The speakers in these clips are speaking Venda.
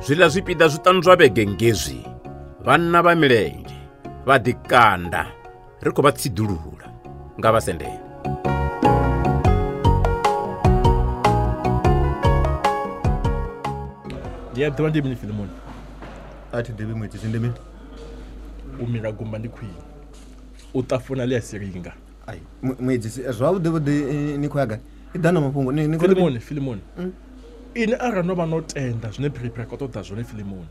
Zwiḽa zwipiḓa zwiṱanu zwa vhege ngezwi vhanna vha milenzhe vha ḓikanda ri khou vha tsiḓulula nga vha sendele. Ndi a ḓivha ndi mini Filimoni? A thi ḓivhi Muedzisi ndi mini? U mila gumba ndi khwine, u ṱafuna ḽi a silinga. Ai, Muedzisi zwavhuḓi vhuḓi ni khou ya gai? I ḓa na mafhungo ni ni khou ri Filimoni, Filimoni. Ini arali no vha no tenda zwine Phiriphiri a khou ṱoḓa zwone Filimoni,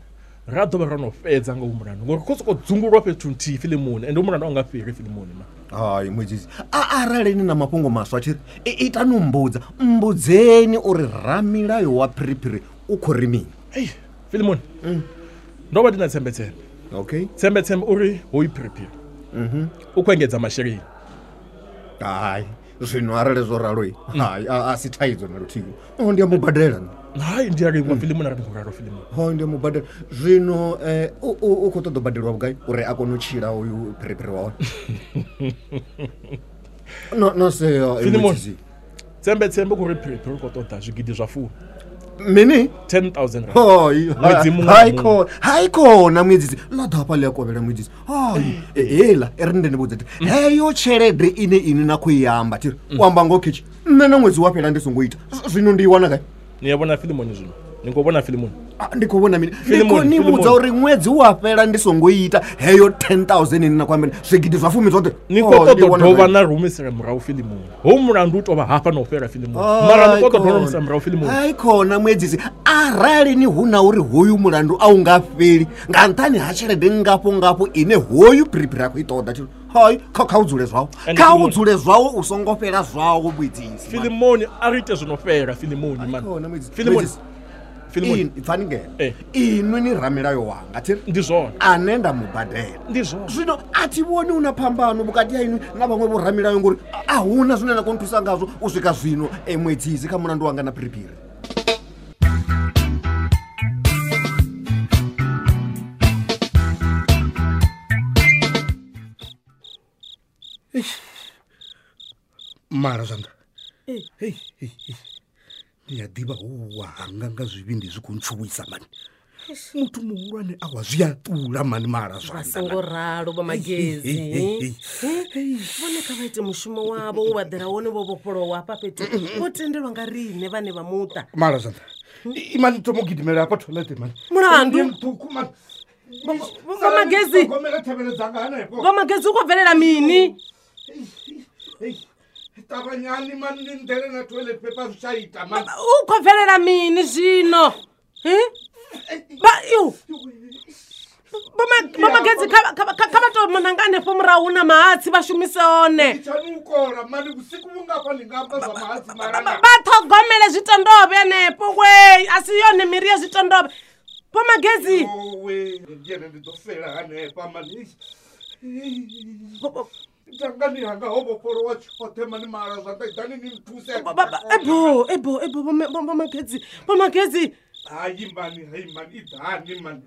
ra ḓo vha ro no fhedza nga u mulandu ngori khou sokou dzungulwa fhethu nthihi Filimoni ende u mulandu a u nga fheli Filimoni ma. Hai Muedzisi, a arali ni na mafhungo maswa tshi ri itani u mbudza, mbudzeni uri ramilayo wa Phiriphiri u khou ri mini. Ei, Filimoni. Ndo vha ndi na tsembetsembe. Okay. Tsembetsembe uri hoyu Phiriphiri. U khou engedza masheleni. Hai, zwino arali zwo ralo hai a si thaidzo na luthihi. Oh, ndi a mu badela nṋe. Hai, ndi a livhuwa Filimoni arali ndi khou ralo Filimoni. Ho ndi a mu badela. Zwino u khou ṱoḓa u badelwa vhugai uri a kone u tshila hoyu Phiriphiri wa hone? No no sea Filimoni. Tsembetsembe khou ri Phiriphiri u khou ṱoḓa zwigidi zwa 10. Mini? 10,000 rand. Hai, Ṅwedzi muṅwe na hai muṅwe. khona, hai khona Muedzisi. Ḽa ḓa hafha ḽi a kovhela Muedzisi. Hai, heiḽa i ri ndi ni vhudze thi. Heyo tshelede ine inwi na khou i amba thi u amba ngoho khetshe. Nṋe na ṅwedzi wa fhela ndi songo ita. Zwino ndi i wana gai? Ni a vhona Filimoni zwino? Ni khou vhona Filimoni? Ndi khou vhona mini? Ndi khou Filimoni, ni vhudza Filimoni. uri ṅwedzi wa fhela ndi songo ita heyo 10,000 ine na khou amba zwigidi zwa 10 zwoṱhe. Ni khou Oh, ndi ṱoḓa wana dovha gai? na rumisela murahu Filimoni. Ho mulandu u tovha hafha na u fhela Filimoni. Hai Mara ni khou ṱoḓa khona. rumisela murahu Filimoni. Hai khona Muedzisi, arali ni hu na uri hoyu mulandu a u nga fheli nga nṱhani ha tshelede ngafho ngafho ine hoyu Phiriphiri a khou i ṱoḓa tshi hai kha u dzule zwawo. And Kha u Filimoni. dzule zwawo u songo fhela zwawo Muedzisi. Filimoni a ri ite zwino fhela Filimoni man. Khona Muedzisi. Filimoni. Muedzisi. Filimoni. Pfani ngeno. Inwi ni ramilayo wanga thi ndi zwone ane nda mu badela. Ndi zwone. Zwino a thi vhoni hu na phambano vhukati ha inwi na vhaṅwe vho ramilayo ngori a huna zwine na kona u thusa ngazwo u swika zwino Muedzisi kha mulandu wanga na Phiriphiri. Mala zwanḓa. Hei, hei, hei. Ndi a ḓivha huwa hanga nga zwivhindi zwi khou ntshuwisa mani. Muthu muhulwane awa zwi a ṱula mani mala Vha zwanḓa. songo ralo vha Magezi. Hei, hei, hei. Vhone kha vha ite mushumo wavho wo vha ḓela wone vho vhofholowa hafha fhethu. Vho tendelwa nga riṋe vhane vha muṱa. Mala zwanḓa. Imani thomo gidimela hafha toilet mani. Mulandu? Ṱhukhu mani. Vho Magezi. Gomela thavhele dzanga hanefho. Vho Magezi u khou bvelela mini? Ṱavhanyani mani ni nḓele na toilet paper zwi tsha ita mani. U khou bvelela mini zwino? Ba yo. Vho Magezi kha vha tou nanga hanefho murahu na mahatsi vha shumise one. Itshani u kola mani vhusiku vhungafha ni nga amba zwa mahatsi mara. Vha ṱhogomele zwitondovhe hanefho wee, a si yone miri ya zwitondovhe. Vho Magezi. Owe, ndi ene ndi ḓo fela hanefha mani. Dangani hanga ho vhofholowa tshoṱhe mani mala zwanḓa iḓani ni nthuse. Ebo, ebo, ebo vho Magezi. Vho Magezi. Hayi mani, hayi mani, iḓani mani.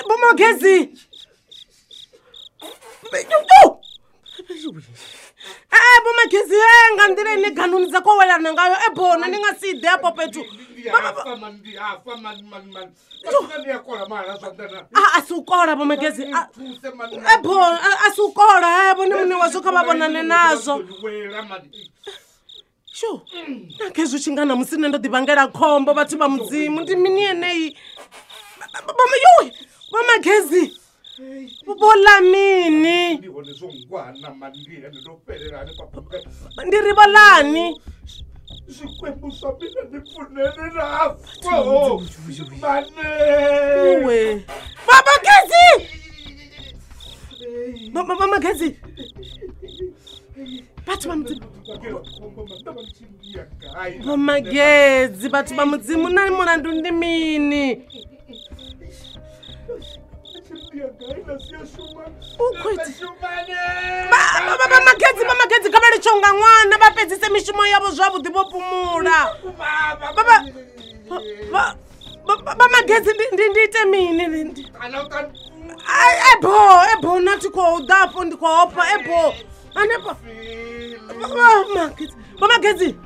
Vho Magezi. Vho Magezi nga nḓila ine ganuni dza khou welana ngayo ebona ni nga si ḓe afho fhethu. Ndi afa mani, ndi afa mani mani mani. Vhathu ni a kola mala zwanḓa na. A si u kola Vho Magezi. Ebo a si u kola vhone muṋe wazwo kha vha vhonane nazwo. Wela mani. Sho, na khezwi tshi nga namusi nṋe ndo ḓi vhangela khombo vhathu vha Mudzimu ndi mini yeneyi? Yowe, Vho Magezi. Vho ḽa mini? Ndi hone zwo ngwana mani, ndi hone ndo fhelela hanefha. Ndi ri vho ḽani? Zwikwembu zwa mina ndi pfunene nafo. Mane. Yowe. Vho Magezi! Vho Magezi. Vhathu vha Mudzimu. Vho Magezi, vhathu vha Mudzimu na mulandu ndi mini? U khou ita Vha Magezi, vha Magezi kha vha litshe unga ṅwana vha fhedzise mishumo yavho zwavhuḓi vho fhumula. Vha Magezi ndi ite mini? Ebo, ebo na thi khou ḓa afho ndi khou ofha ebo. Hanefho. Vha Magezi, vha Magezi.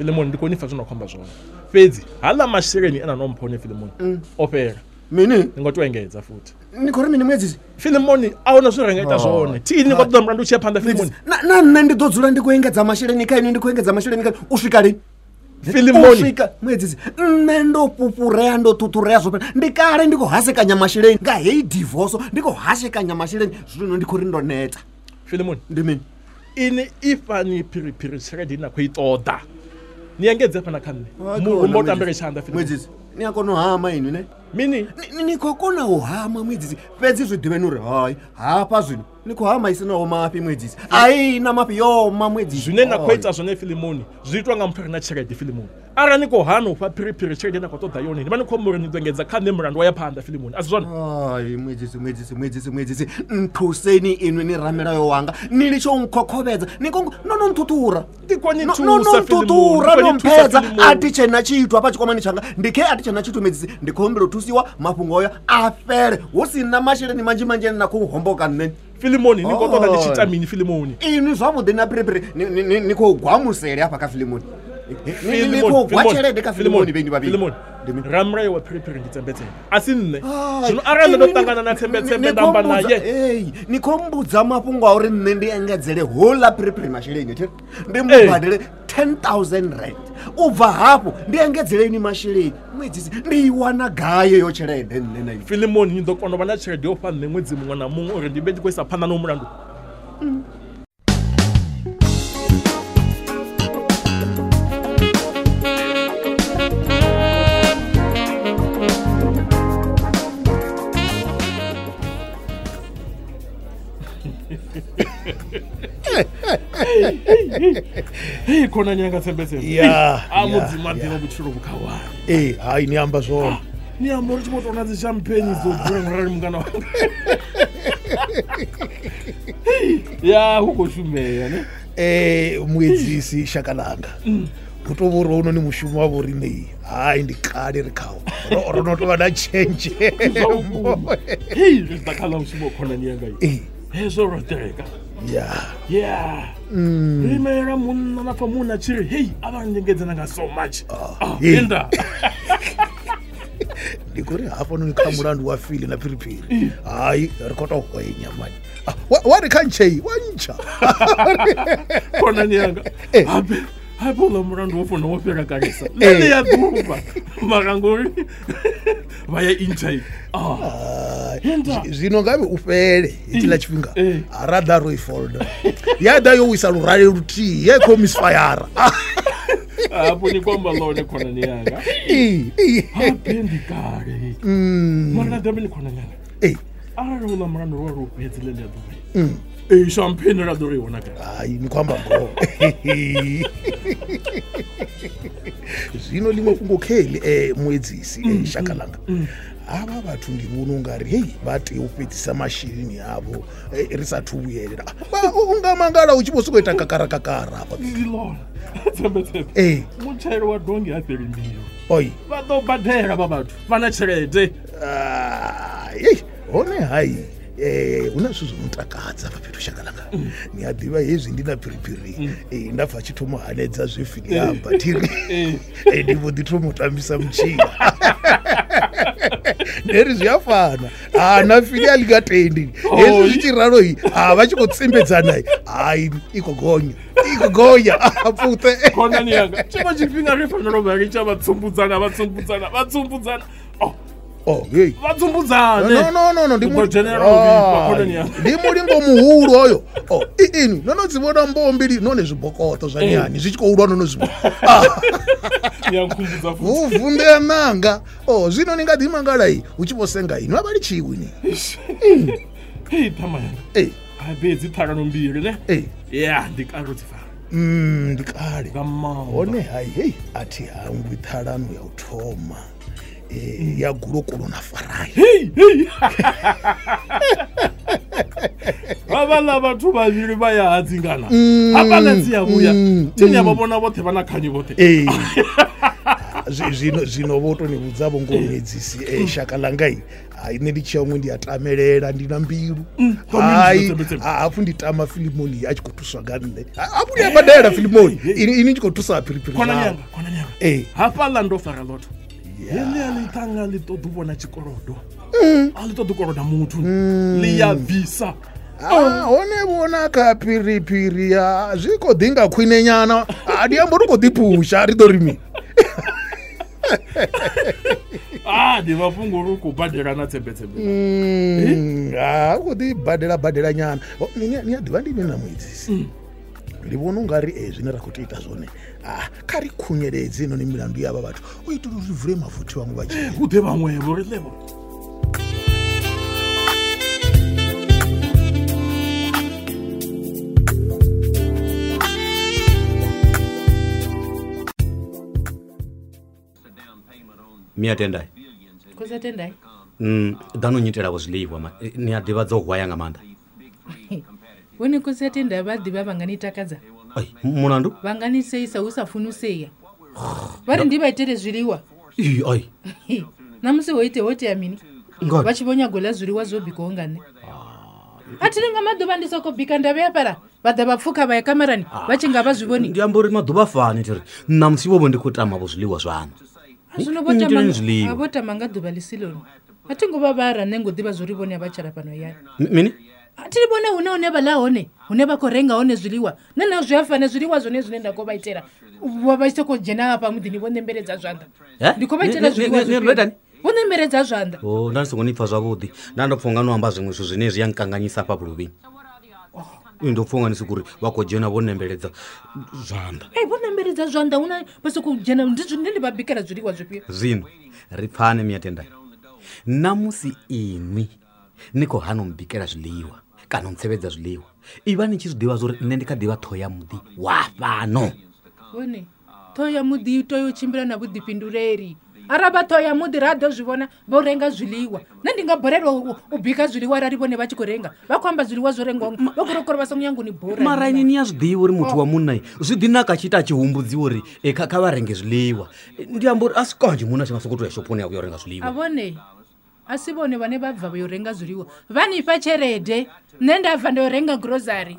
Filimoni ndi khou ni pfa zwino khou amba zwone. Fhedzi haḽa masheleni ena no mpha one Filimoni o fhela. Mini? Ni ngo tou engedza futhi. Ni khou ri mini muedzisi? Filimoni a huna zwine ra nga ita zwone. Thi ni khou ṱoḓa mulandu u tshi ya phanḓa Filimoni. Na nṋe ndi ḓo dzula ndi khou engedza masheleni kha inwi, ndi khou engedza masheleni kha u swika lini? Filimoni. U swika muedzisi, nṋe ndo fhufhurea, ndo ṱhuṱhurea zwo fhela. Ndi kale ndi khou hasekanya masheleni nga heyi divorce, ndi khou hasekanya masheleni zwino ndi khou ri ndo neta. Filimoni. Ndi mini? Ini ifhani phiriphiri tshelede ine na khou i ṱoḓa. Ni engedze hafha na kha nṋe. Murumba u tambele tshanḓa Filimoni. Muedzisi, ni a kona u hama inwi ne? Mini? Ni khou kona u hama muedzisi, fhedzi zwi ḓivheni uri hai hafha zwino ni khou hama isinaho mafhi muedzisi. Ai na mafhi yo ma muedzisi. Zwine na khou ita zwone Filimoni zwi itwa nga muthu a re na tshelede Filimoni. Arali ni khou hana u fha phiriphiri tshelede na khou ṱoḓa yone, ni vha ni khou amba uri ni ḓo engedza kha nṋe mulandu wa ya phanḓa Filimoni, a si zwone? Ai muedzisi, muedzisi, muedzisi, muedzisi, nthuseni inwi ni ramilayo wanga, ni litshe u nkhokhovhedza, ni kongo no no nthuthura. Ndi khou ni No thusa no Filimoni, nthuthura ndi no khou ni thusa mphedza, Filimoni. a thi tshena tshithu hafha tshikwamani tshanga, ndi khe a thi tshena tshithu muedzisi, ndi khou humbela u thusiwa mafhungo oyo a fhele hu si na masheleni manzhi manzhi ane na khou homboka nṋe. Filimoni ni khou ṱoḓa ndi tshi ita mini Filimoni? Inwi zwavhuḓi na phiriphiri ni khou gwa musele hafha kha Filimoni. Ni khou gwa tshelede kha Filimoni vheni vhavhili. Filimoni, ramulayo wa phiriphiri ndi tsembetsembe, a si nṋe. Zwino arali nṋe ndo ṱangana na tsembetsembe nda amba naye. Ni khou mbudza mafhungo a uri nṋe ndi engedzele houḽa phiriphiri masheleni, thi? Ndi mu badele 10,000 rand. U bva hafho ndi engedzele ini masheleni. Muedzisi, ndi i wana gai yo tshelede nṋe na inwi? Filimoni, ni ḓo kona u vha na tshelede yo fha nṋe ṅwedzi muṅwe na muṅwe uri ndi vhe ndi khou isa phanḓa na mulandu. Hey, khonani yanga tsembetsembe. Ya, A mudzimu a ya. ḓivha vhutshilo vhukhawana. Ee, hai ni amba zwone. Ni amba uri tshi vho tou na dzi champagne dzo dzula ngorali mungana wanga. Ya, hu khou shumea ne. Muedzisi shaka langa. Hu tou vha uri hounoni mushumo wa vhoriṋe hai ndi kale ri khawo. Ro no tou vha na tshenzhemo. Hei, ri ḓa kha ḽa mushumo khonani yanga iyi. Hezwo ro ṱereka. Ya. Yeah. Ri imela munna na pfa munna tshi ri hei a vha ndengedzana nga so much. Enda. Ndi khou ri hafhanoni kha mulandu wa Fili na phiriphiri. Hai ri khou tou hwenya mani. Wa ri kha ntshei wa ntsha. Khonani yanga. Habe habe uḽa mulandu wo fona wo fhela kalesa. Nṋe ya ḓuvha. Mara ngori vha ya intsha. Zwino ngavhe u fhele hetshiḽa tshifhinga a ra ḓa ro i folda. Ya ḓa yo wisa lurale luthihi ye khou misfire. Hafho ni khou amba ḽone khonani yanga. Habe ndi kale. Mara na ḓavhe ni khonani yanga. Arali uḽa mulandu ro ro fhedzi ḽe ḽia ḓuvha. Champagne ra ḓo ri wana gai? Hai ni khou amba ngoho. Zwino ḽiṅwe fhungo kheli muedzisi shaka langa. Havha vhathu ndi vhona ungari hei vha tea u fhedzisa masheleni avho ri sathu vhuyelela. U nga mangala u tshi vho sokou ita kakara kakara hafha. Ndi ḽone. Tsembetsembe. Mutshelo wa dongi ha fheli mbilu. Oi. Vha ḓo badela vha vhathu vha na tshelede. Hei hone hai. Hu na zwithu zwo no takadza hafha fhethu shaka langa. Ni a ḓivha hezwi ndi na phiriphiri nda pfa tshi thoma hanedza zwe Fili amba thiri. Ndi vho ḓi thoma u tambisa mutshila. Ndi ri zwi a fana. Na Fili a ḽi nga tendi. Hezwi zwi tshi ralo a vha tshi khou tsimbedzana hai i khou gonya. I khou gonya a pfuṱe. Khonani yanga tshiṅwe tshifhinga ri fanela u vha ri tsha vha tsumbudzana vha tsumbudzana vha tsumbudzana. Oh, hey. Vha tsumbudzane. No, ndi ndi mulingo muhulu hoyo. Inwi no no dzi vhona mboho mbili none zwibokoto zwa nyani zwi tshi khou lwa no no zwi. Ya nkhumbudza futhi. Hu vunḓea nanga. Zwino ni nga ḓi mangala hu tshi vho senga inwi a vha litshiwi ni. Hei ṱhama yanga. Habe dzi ṱhalano mbili ne. Ya ndi kale ro dzi fara. Ndi kale. Nga maanḓa. Hone hai hei a thi hangwi ṱhalano ya u thoma. Ya gulokolo na farai. Hei hei. Havhaḽa vhathu vhavhili vha ya hadzingana. Hafhaḽa dzi ya vhuya. Thini ya vha vhona vhoṱhe vha na khanyi vhoṱhe. Zwino vho to ni vhudza vho ngo muedzisi shaka langa ai nṋe ndi tshi huṅwe ndi a tamelela ndi na mbilu. Hai hafhu ndi tama Filimoni a tshi khou thuswa nga nṋe. Hafhu ndi a badela Filimoni ini tshi khou thusa phiriphiri. Khonani yanga. Hafhaḽa ndo fara lotho. Heḽia ḽithanga ḽi ṱoḓa u vhona tshikolodo. A ḽi ṱoḓi u koloda muthu. Ḽi ya bvisa. Hone vhona kha phiriphiri ya zwi khou ḓi nga khwine nyana. Ndi amba uri khou ḓi phusha ri ḓo ri mini. Ndi mafhungo uri u khou badela na tsembetsembe. U khou ḓi badela nyana. Ni a ḓivha ndi mini na muedzisi. Ndi vhona ungari zwine ra khou tea ita zwone kha ri khunyeledze noni milandu ya vha vhathu u itela uri vule mafuthi vhaṅwe vha dzhie. Hu ḓe vhaṅwe vho ri ḽevho. Mia tendai. Khosi tendai. Ḓano nyitela vho zwiḽiwa ma ni a ḓivha dzo hwaya nga maanḓa. Vhone khosi tendai vha ḓivha vha nga ni takadza. Ai, mulandu? Vha nga ni seisa hu sa funi u seya. Vha ri ndi vha itele zwiḽiwa. Ai. Na musi ho ite ho tea mini? Vha tshi vho nyago ḽa zwiḽiwa zwo bikwaho nga nṋe. A thi nga maḓuvha ndi soko bika nda vhea fhala vha ḓa vha pfuka vha ya kamarani vha tshi nga vha zwi vhoni. Ndi amba uri maḓuvha fani thiri na musi vho vho ndi khou tama vho zwiḽiwa zwaṋu. Zwino vho tama nga ḓuvha ḽi si ḽone. A thi ngo vha vhara nṋe ngo ḓivha zwori vhone a vha tshala fhano hayani. Mini? A thi vhone hune hune vha ḽa hone hune vha khou renga hone zwiḽiwa. Nṋe na zwi a fana zwiḽiwa zwone zwine nda khou vha itela. Vha vha tshi khou dzhena hafha muḓini vho nembeledza zwanḓa. Ndi khou vha itela zwiḽiwa zwifhio? Vho nembeledza zwanḓa. Nda ndi songo ni pfa zwavhuḓi. Nda ndo pfa unga no amba zwiṅwe zwithu zwine zwi a nkanganyisa hafha vhuluvhini. Ndo pfa unga ni sokou ri vha khou dzhena vho nembeledza zwanḓa. Vho nembeledza zwanḓa huna vha sokou dzhena ndi zwine ndi vha bikela zwiḽiwa zwifhio. Zwino ri pfane Mia Tendai. Namusi inwi ni khou hana u mbikela zwiḽiwa kana u ntsevhedza zwiḽiwa, ivha ni tshi zwi ḓivha zwa uri nṋe ndi kha ḓivha ṱhoho ya muḓi wa fhano. Vhone ṱhoho ya muḓi i tea u tshimbila na vhuḓifhinduleli. Arali vha ṱhoho ya muḓi ra ḓo zwi vhona vho renga zwiḽiwa. Nṋe ndi nga balelwa u bika zwiḽiwa arali vhone vha tshi khou renga. Vha khou amba zwiḽiwa zwo rengwaho vha khou ri vha songo nyaga u ni bora. Mara ini ni a zwi ḓivha uri muthu wa munna zwi ḓi naka tshi ita a tshi humbudziwa uri kha vha renge zwiḽiwa. Ndi amba uri a si kanzhi munna a tshi nga sokou tou ya shophoni ya vhuya u renga zwiḽiwa. A vhone a si vhone vhane vha bva vha yo renga zwiḽiwa. Vha ni fha tshelede nṋe nda bva nda yo renga grocery.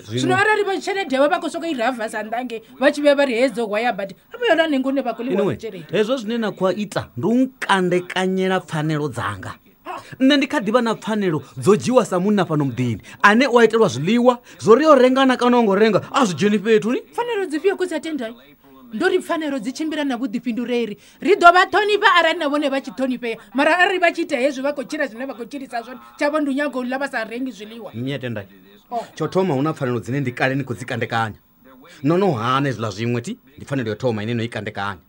Zwino arali vha tshelede yavho vha khou sokou i rava sa ndange vha tshi vhuya vha ri hedzo hwaya badi a vha yona nengo hune vha khou ḽiwa tshelede. Hezwo zwine na khou ita ndi u nkandekanyela pfanelo dzanga. Nṋe ndi kha ḓivha na pfanelo dzo dzhiwa sa munna fhano muḓini ane u a itelwa zwiḽiwa zwo ri yo rengana kana u ngo renga a zwi dzheni fhethu ni. Pfanelo dzifhio khosi Tendai? Ndo ri pfanelo dzi tshimbila na vhuḓifhinduleli. Ri ḓo vha ṱhonifha arali na vhone vha tshi ṱhonifhea, mara arali vha tshi ita hezwi vha khou tshila zwine vha khou tshilisa zwone tshavho ndi u nyaga u ḽa vha sa rengi zwiḽiwa. Mia Tendai, tsho thoma hu na pfanelo dzine ndi kale ni khou dzi kandekanya. No no hana hezwiḽa zwiṅwe thi ndi pfanelo yo thoma ine no i kandekanya.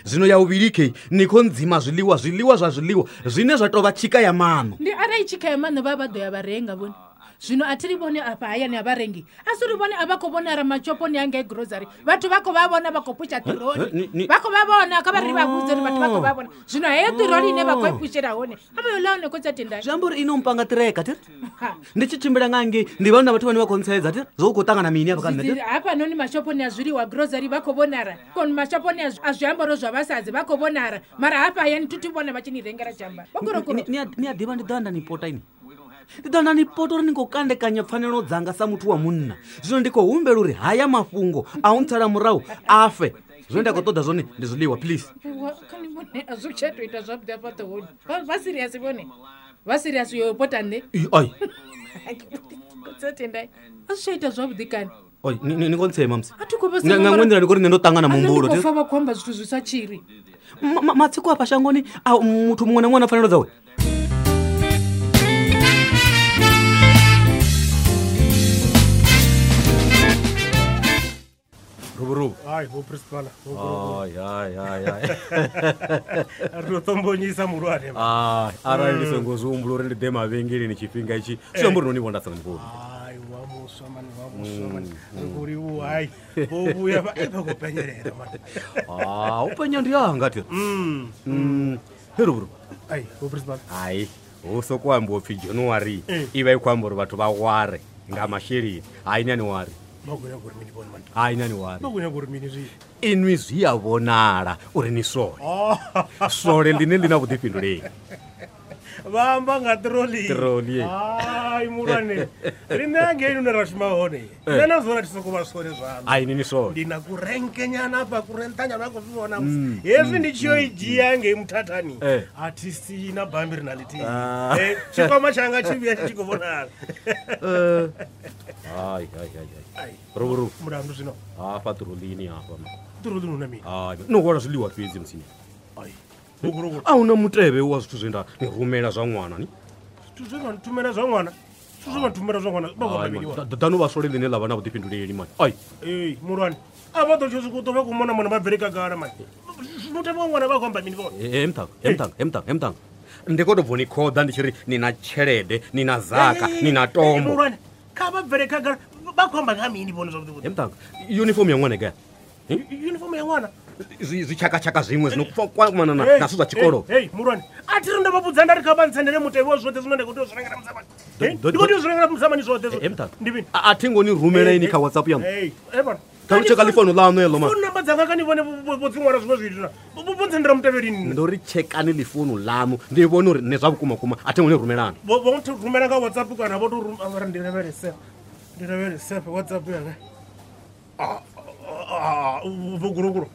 Zwino ya vhuvhili khe ni khou ndzima zwiḽiwa zwiḽiwa zwa zwiḽiwa zwine zwa tou vha tshika ya maṋo. Ndi arali tshika ya maṋo vha vha ḓo ya vha renga vhone. Zwino a thi ri vhone afha hayani a vha rengi. A si ri vhone a vha khou vhonala mashoponi hangei grocery. Vhathu vha khou vha vhona vha khou pusha ṱiroli. Vha khou vha vhona kha vha ri vha vhudze uri vhathu vha khou vha vhona. Zwino heyo ṱiroli ine vha khou i pushela hone a vha yo ḽa hone khotsi a Tendai. Zwi amba uri ino mpanga ṱireka thi? Ndi tshi tshimbila nga ngei ndi vhona vhathu vhane vha khou ntsedza thi? Zwo u khou ṱangana mini afha kha nṋe thi? Hafhanoni mashoponi a zwiḽiwa grocery vha khou vhonala. Koni mashoponi a zwiambaro zwa vhasadzi vha khou vhonala. Mara hafha hayani thi thi vhona vha tshi ni rengela tshiambaro. Vha khou ri Ni a ḓivha ndi ḓo anda ni pota ini. Ndi ḓo nda ni pota uri ni khou kandekanya pfanelo dzanga sa muthu wa munna. Zwino ndi khou humbela uri haya mafhungo a u ntsala murahu a fe. Zwine nda khou ṱoḓa zwone ndi zwiḽiwa please. Kha ni vhone a zwi tsha tou ita zwavhuḓi afha ṱhohoni. Vha serious vhone. Vha serious yo pota nṋe. Ai. Khotsi Tendai. A zwi tsha ita zwavhuḓi kani. Oi, ni khou ntsema musi. A thi khou vha Nga nga nḓila ndi khou ri nṋe ndo ṱangana muhumbulo. Ndi khou pfa vha khou amba zwithu zwi sa tshiri. Matsiko afha shangoni a muthu muṅwe na muṅwe na pfanelo dzawe. Ruburubu. Ai, vho principal. Ai, ai, ai, ai. Ri ḓo ṱombonyisa muhulwane. Ai, arali ndi songo zwi humbula uri ndi ḓe mavhengeleni tshifhinga itshi, zwi amba uri no ni vhona sa mukulu. Ai, wa muswa mani, wa muswa mani. Ri khou livhuwa, ai. Vho vhuya vha vha khou penyelela mani. Ah, u penya ndi anga thi. He Ruburubu. Ai, vho principal. Ai, hu soko ambiwa upfi January i vha i khou amba uri vhathu vha ware nga masheleni. Hai, ni a ni wari. Vha khou nyaga uri mini vhone mani? Hai nani wari. Vha khou nyaga uri mini zwi? Inwi zwi a vhonala uri ni swole. Swole ḽine ḽi na vhuḓifhinduleli. Vha amba nga ṱiroli. Ṱiroli. Hai muhulwane. Riṋe hangei hune ra shuma hone. Nṋe na zwone thi soko vha swole zwaḽo. Hai ni ni swole. Ndi na kurenkenyana hafha kurenṱanyana vha khou zwi vhona musi. Hezwi ndi tshi yo i dzhia ngei muthathani. A thi sii na bammbiri na ḽithihi. Tshikwama tshanga tshi vhuya tshi tshi khou vhonala. Hai hai hai hai. Ruvhuruvu. Mulandu zwino. Hafha ṱirolini hafha. Ṱirolini hu na mini? Hai no hwala zwiḽiwa fhedzi musini. Ai. Vhuguruguru. A huna mutevhe wa zwithu zwe nda ni rumela zwa ṅwana ni. Zwithu zwe vha nthumela zwa ṅwana. Zwithu zwe vha nthumela zwa ṅwana vha khou amba mini vhone? Ḓano vha swole ḽine ḽa vha na vhuḓifhinduleli mani. Ai. Ee, muhulwane. A vha ḓo tshi swika u ḓo vha khou mona mona vha bvele khagala mani. Mutevhe wa ṅwana vha khou amba mini vhone? He mthanga, he mthanga, he mthanga, he mthanga. Ndi khou tou bva ni khoḓa ndi tshi ri ni na tshelede, ni na zaka, ni na tombo. Muhulwane, kha vha bvele khagala vha khou amba nga mini vhone zwavhuḓi vhuḓi? He mthanga, uniform ya ṅwana i gai? Uniform ya ṅwana? Zwitshakatshaka zwiṅwe zwino kwamana na zwithu zwa tshikolo. Hey, muhulwane, a thi ri ndo vha vhudza nda ri kha vha ntsendele mutevhe wa zwoṱhe zwine nda khou tea u zwi rengela musamani. Ndi khou tea u zwi rengela musamani zwoṱhe. He mthanga, Ndi mini? a thi ngo ni rumela ini kha WhatsApp yaṋu. Hey, he vhona. Kha lu tsheka ḽifono ḽaṋu heḽo mani. Phone number dzanga kha ni vhone vho dzi ṅwala zwiṅwe zwithu na. Vho ntsendela mutevhe lini nṋe? Ndo ri tshekani ḽifono ḽaṋu ndi vhone uri nṋe zwa vhukuma kuma a thi ngo ni rumelana. Vho rumela nga WhatsApp kana vho tou rumela ndi lavhelese. Ndi lavhelese WhatsApp yanga. Vhuguruguru.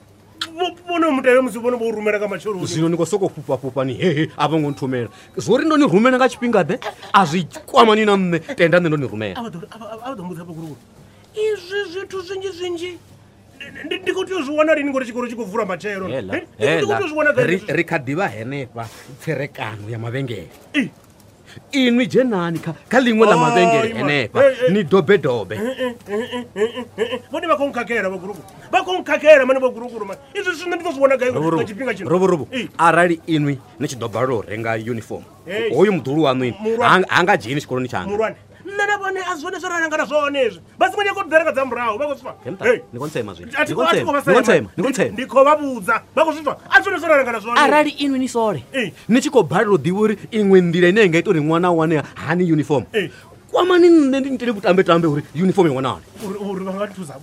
Vhone mutevhe musi vhone vho rumela nga matsheloni. Zwino ni khou sokou fhufha fhufha ni hehe a vho ngo nthumela. Zwo ri ndo ni rumela nga tshifhinga ḓe a zwi kwamani na nṋe tenda nṋe ndo ni rumela. A vha ḓo mbudza vhuguruguru. Izwi zwithu zwinzhi zwinzhi ndi khou tea u zwi wana lini ngori tshikolo tshi khou vula matshelo. Ndi khou tea u zwi wana gai? Ri kha ḓivha henefha tserekano ya mavhengele. Inwi dzhenani kha ḽiṅwe ḽa mavhengele henefha ni dobe dobe. Vhone vha khou nkhakhela vhaguruguru. Vha khou nkhakhela mani vhaguruguru mani. Izwi zwithu nṋe ndi ḓo zwi wana gai nga tshifhinga tshino? Ruvhuruvu, arali inwi ni tshi ḓo balelwa u renga uniform, hoyu muḓulu waṋu inwi ha nga dzheni tshikoloni tshanga. Muhulwane, nṋe na vhone a zwone zwo ra langana zwone hezwi. Vha songo nyaga u ḓi renga dza murahu vha khou zwi pfa. Ni khou ntsema zwino. Ni khou ntsema. Ndi khou vha vhudza vha khou zwi pfa. A zwone zwo ra langana zwone. Arali inwi ni sole ni tshi khou balelwa u ḓivha uri iṅwe nḓila ine ya nga ita uri ṅwana a wane hani uniform, kwamani nṋe ndi nitele vhutambe-tambe uri uniform i wanale. Uri vha nga nthusa.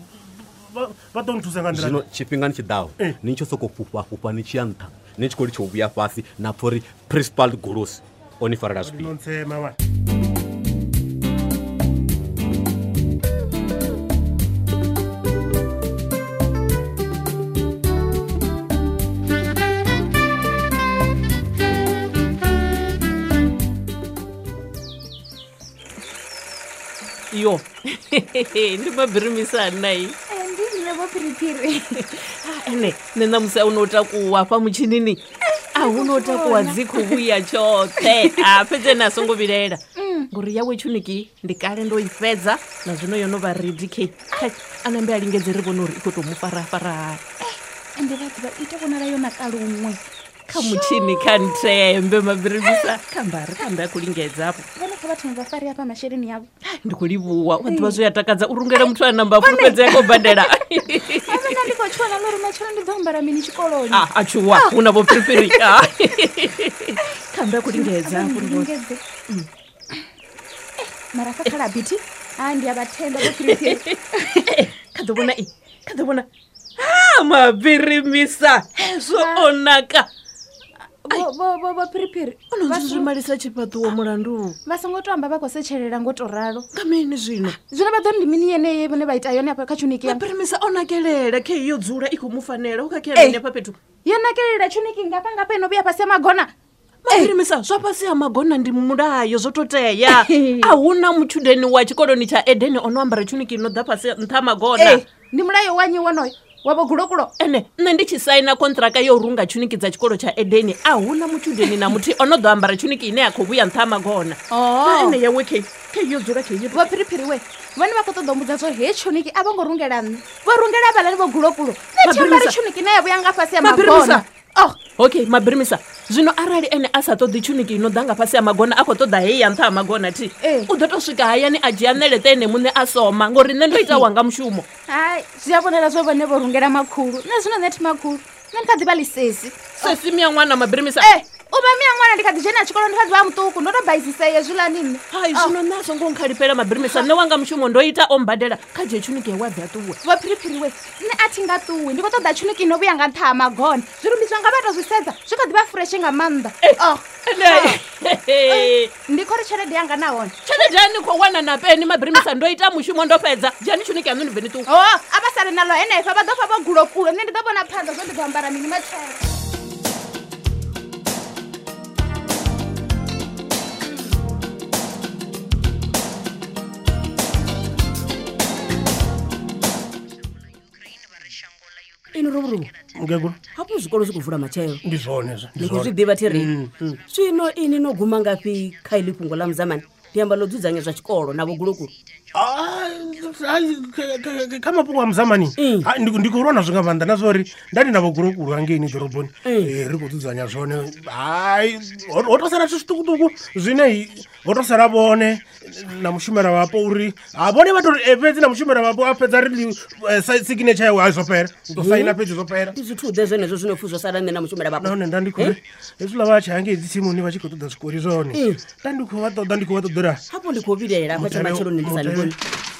Vha ḓo nthusa nga nḓila. Zwino tshifhingani tshi ḓaho ni tshi sokou fhufha fhufha ni tshi ya nṱha ni tshi khou litsha u vhuya fhasi na pfa uri principal Golosi o ni farela zwifhio. No ntsema mani. Yo, ndi mabirimisa nai. Ndi nṋe vho phiriphiri. Ene, nṋe ṋamusi a hu takuwa hafha mutshinini. A hu takuwa dzi khou vhuya tshoṱhe. A fhedzi ene a songo vhilela. Ngori yawe tshuniki ndi kale ndo i fhedza na zwino yo no vha ready khe. A nambe a lingedze ri vhone uri i khou tou mu farafara. Ende vha ḓivha i tou vhonala yo naka luṅwe. Kha mutshini kha nthembe mabirimisa kha mbe a khou lingedza hafho. Vhone kha vhathu vha fare hafha masheleni avho. Ndi khou livhuwa wa ḓivha zwi a takadza u rungela muthu a namba fulufhedzea khou badela. Nṋe ndi khou tshuwa na uri matshelo ndi ḓo ambara mini tshikoloni. A tshuwa hu na vho phiriphiri. Kha mbe a khou lingedza hafho ri vhone. Mara fa khala bithi. A ndi a vha themba vho phiriphiri. Kha ḓo vhona i. Kha ḓo vhona. Mabirimisa hezwo o naka. Vho phiriphiri ono zwi zwi malisa tshifhaṱuwo mulandu. Vha songo to amba vha khou setshelela ngo to ralo. Nga mini zwino? Zwino vha ḓo ndi mini yeneyi vhone vha ita yone afha kha tshuniki ya. Mabirimisa o nakelela khe yo dzula i khou mu fanela u kha khe afha fhethu. Yo nakelela tshuniki ngafha ngafha ino vhuya fhasi ya magona. Mabirimisa zwa fhasi ha magona ndi mulayo zwo to tea. A huna mutshudeni wa tshikoloni tsha Edeni ono ambara tshuniki ino ḓa fhasi nṱha magona. Ndi mulayo wanyi wonoyo. Wa vho gulokulo. Ene nṋe ndi tshi saina kontraka yo runga tshuniki dza tshikolo tsha Edeni a huna mutshudeni na muthu ono ḓo ambara tshuniki ine ya khou vhuya nṱha magona. Na ene yawe khe yo dzula khe yo. Vho phiriphiri we vhone vha khou ṱoḓa u mbudza zwo he tshuniki a vho ngo rungela nṋe. Vho rungela vhalani vho gulokulo. Nṋe thi ambari tshuniki ine ya vhuya nga fhasi ya magona. Okay, mabirimisa zwino arali ene a sa ṱoḓi tshuniki ino ḓa nga fhasi ha magona a khou ṱoḓa heyi ya nṱha ha magona thi u ḓo to swika hayani a dzhia ṋeleṱe ene muṋe a soma ngori nṋe ndo ita wanga mushumo. Hai, zwi a vhonala zwo vhone vho rungela makhulu. Nṋe zwino nṋe thi makhulu. Nṋe ndi kha ḓi vha ḽisesi. Sesi miya ṅwana mabirimisa. U vha miya ṅwana ndi kha ḓi dzhena tshikolo ndi kha ḓi vha muṱuku ndo to baisisea hezwiḽani nṋe. Hai zwino nṋe a songo nkhalifhela Mabirimisa nṋe wanga mushumo ndo ita o mbadela kha dzhie tshuniki yawe a bve a ṱuwe. Vho Phiriphiri we nṋe a thi nga ṱuwi ndi khou ṱoḓa tshuniki ino vhuya nga nṱha ha magona. Zwirumbi zwanga vha to zwi sedza zwi kha ḓi vha fureshe nga maanḓa. Oh. Ndi khou ri tshelede yanga nahone. Tshelede ya ni khou wana na peni Mabirimisa ndo ita mushumo ndo fhedza. Dzhiani tshuniki yaṋu ni bve ni ṱuwe. Oh, a vha sale naḽo henefha vha ḓo fa vho gulokulo nṋe ndi ḓo vhona phanḓa zwo ndi ḓo ambara mini matshelo. Ini Ruvhuruvu mukegulu hafhu zwikolo zwi khou vula matshelo ndi zwone zwo ni khou zwi ḓivha thi ri zwino ini no guma ngafhi kha iḽi fhungo ḽa muzamani ndi amba ḽo dzudzanya zwa tshikolo na vhogulokulu kha mafhungo a muzamani ndi khou lwa nazwo nga maanḓa na zwa uri nda ndi na vhogulokulu hangeini ḓoroboni ri khou dzudzanya zwone hai ho to sala zwithu zwiṱukuṱuku zwine ho to sala vhone na mushumela wapo uri ha vhone vha tori fhedzi na mushumela wapo a fhedza ri signature yawe hai zwo fhela u to saina fhedzi zwo fhela ndi zwithu ḓe zwenezwo zwino pfhi zwo sala nṋe na mushumela wapo nahone nda ndi khou ri hezwiḽa vha tshi hangei dzi tsimuni vha tshi khou ṱoḓa zwikoli zwone nda ndi khou vha ṱoḓa ndi khou vha ṱoḓela hafho ndi khou vhilaela hafha tsha matsheloni ndi sa ni vhoni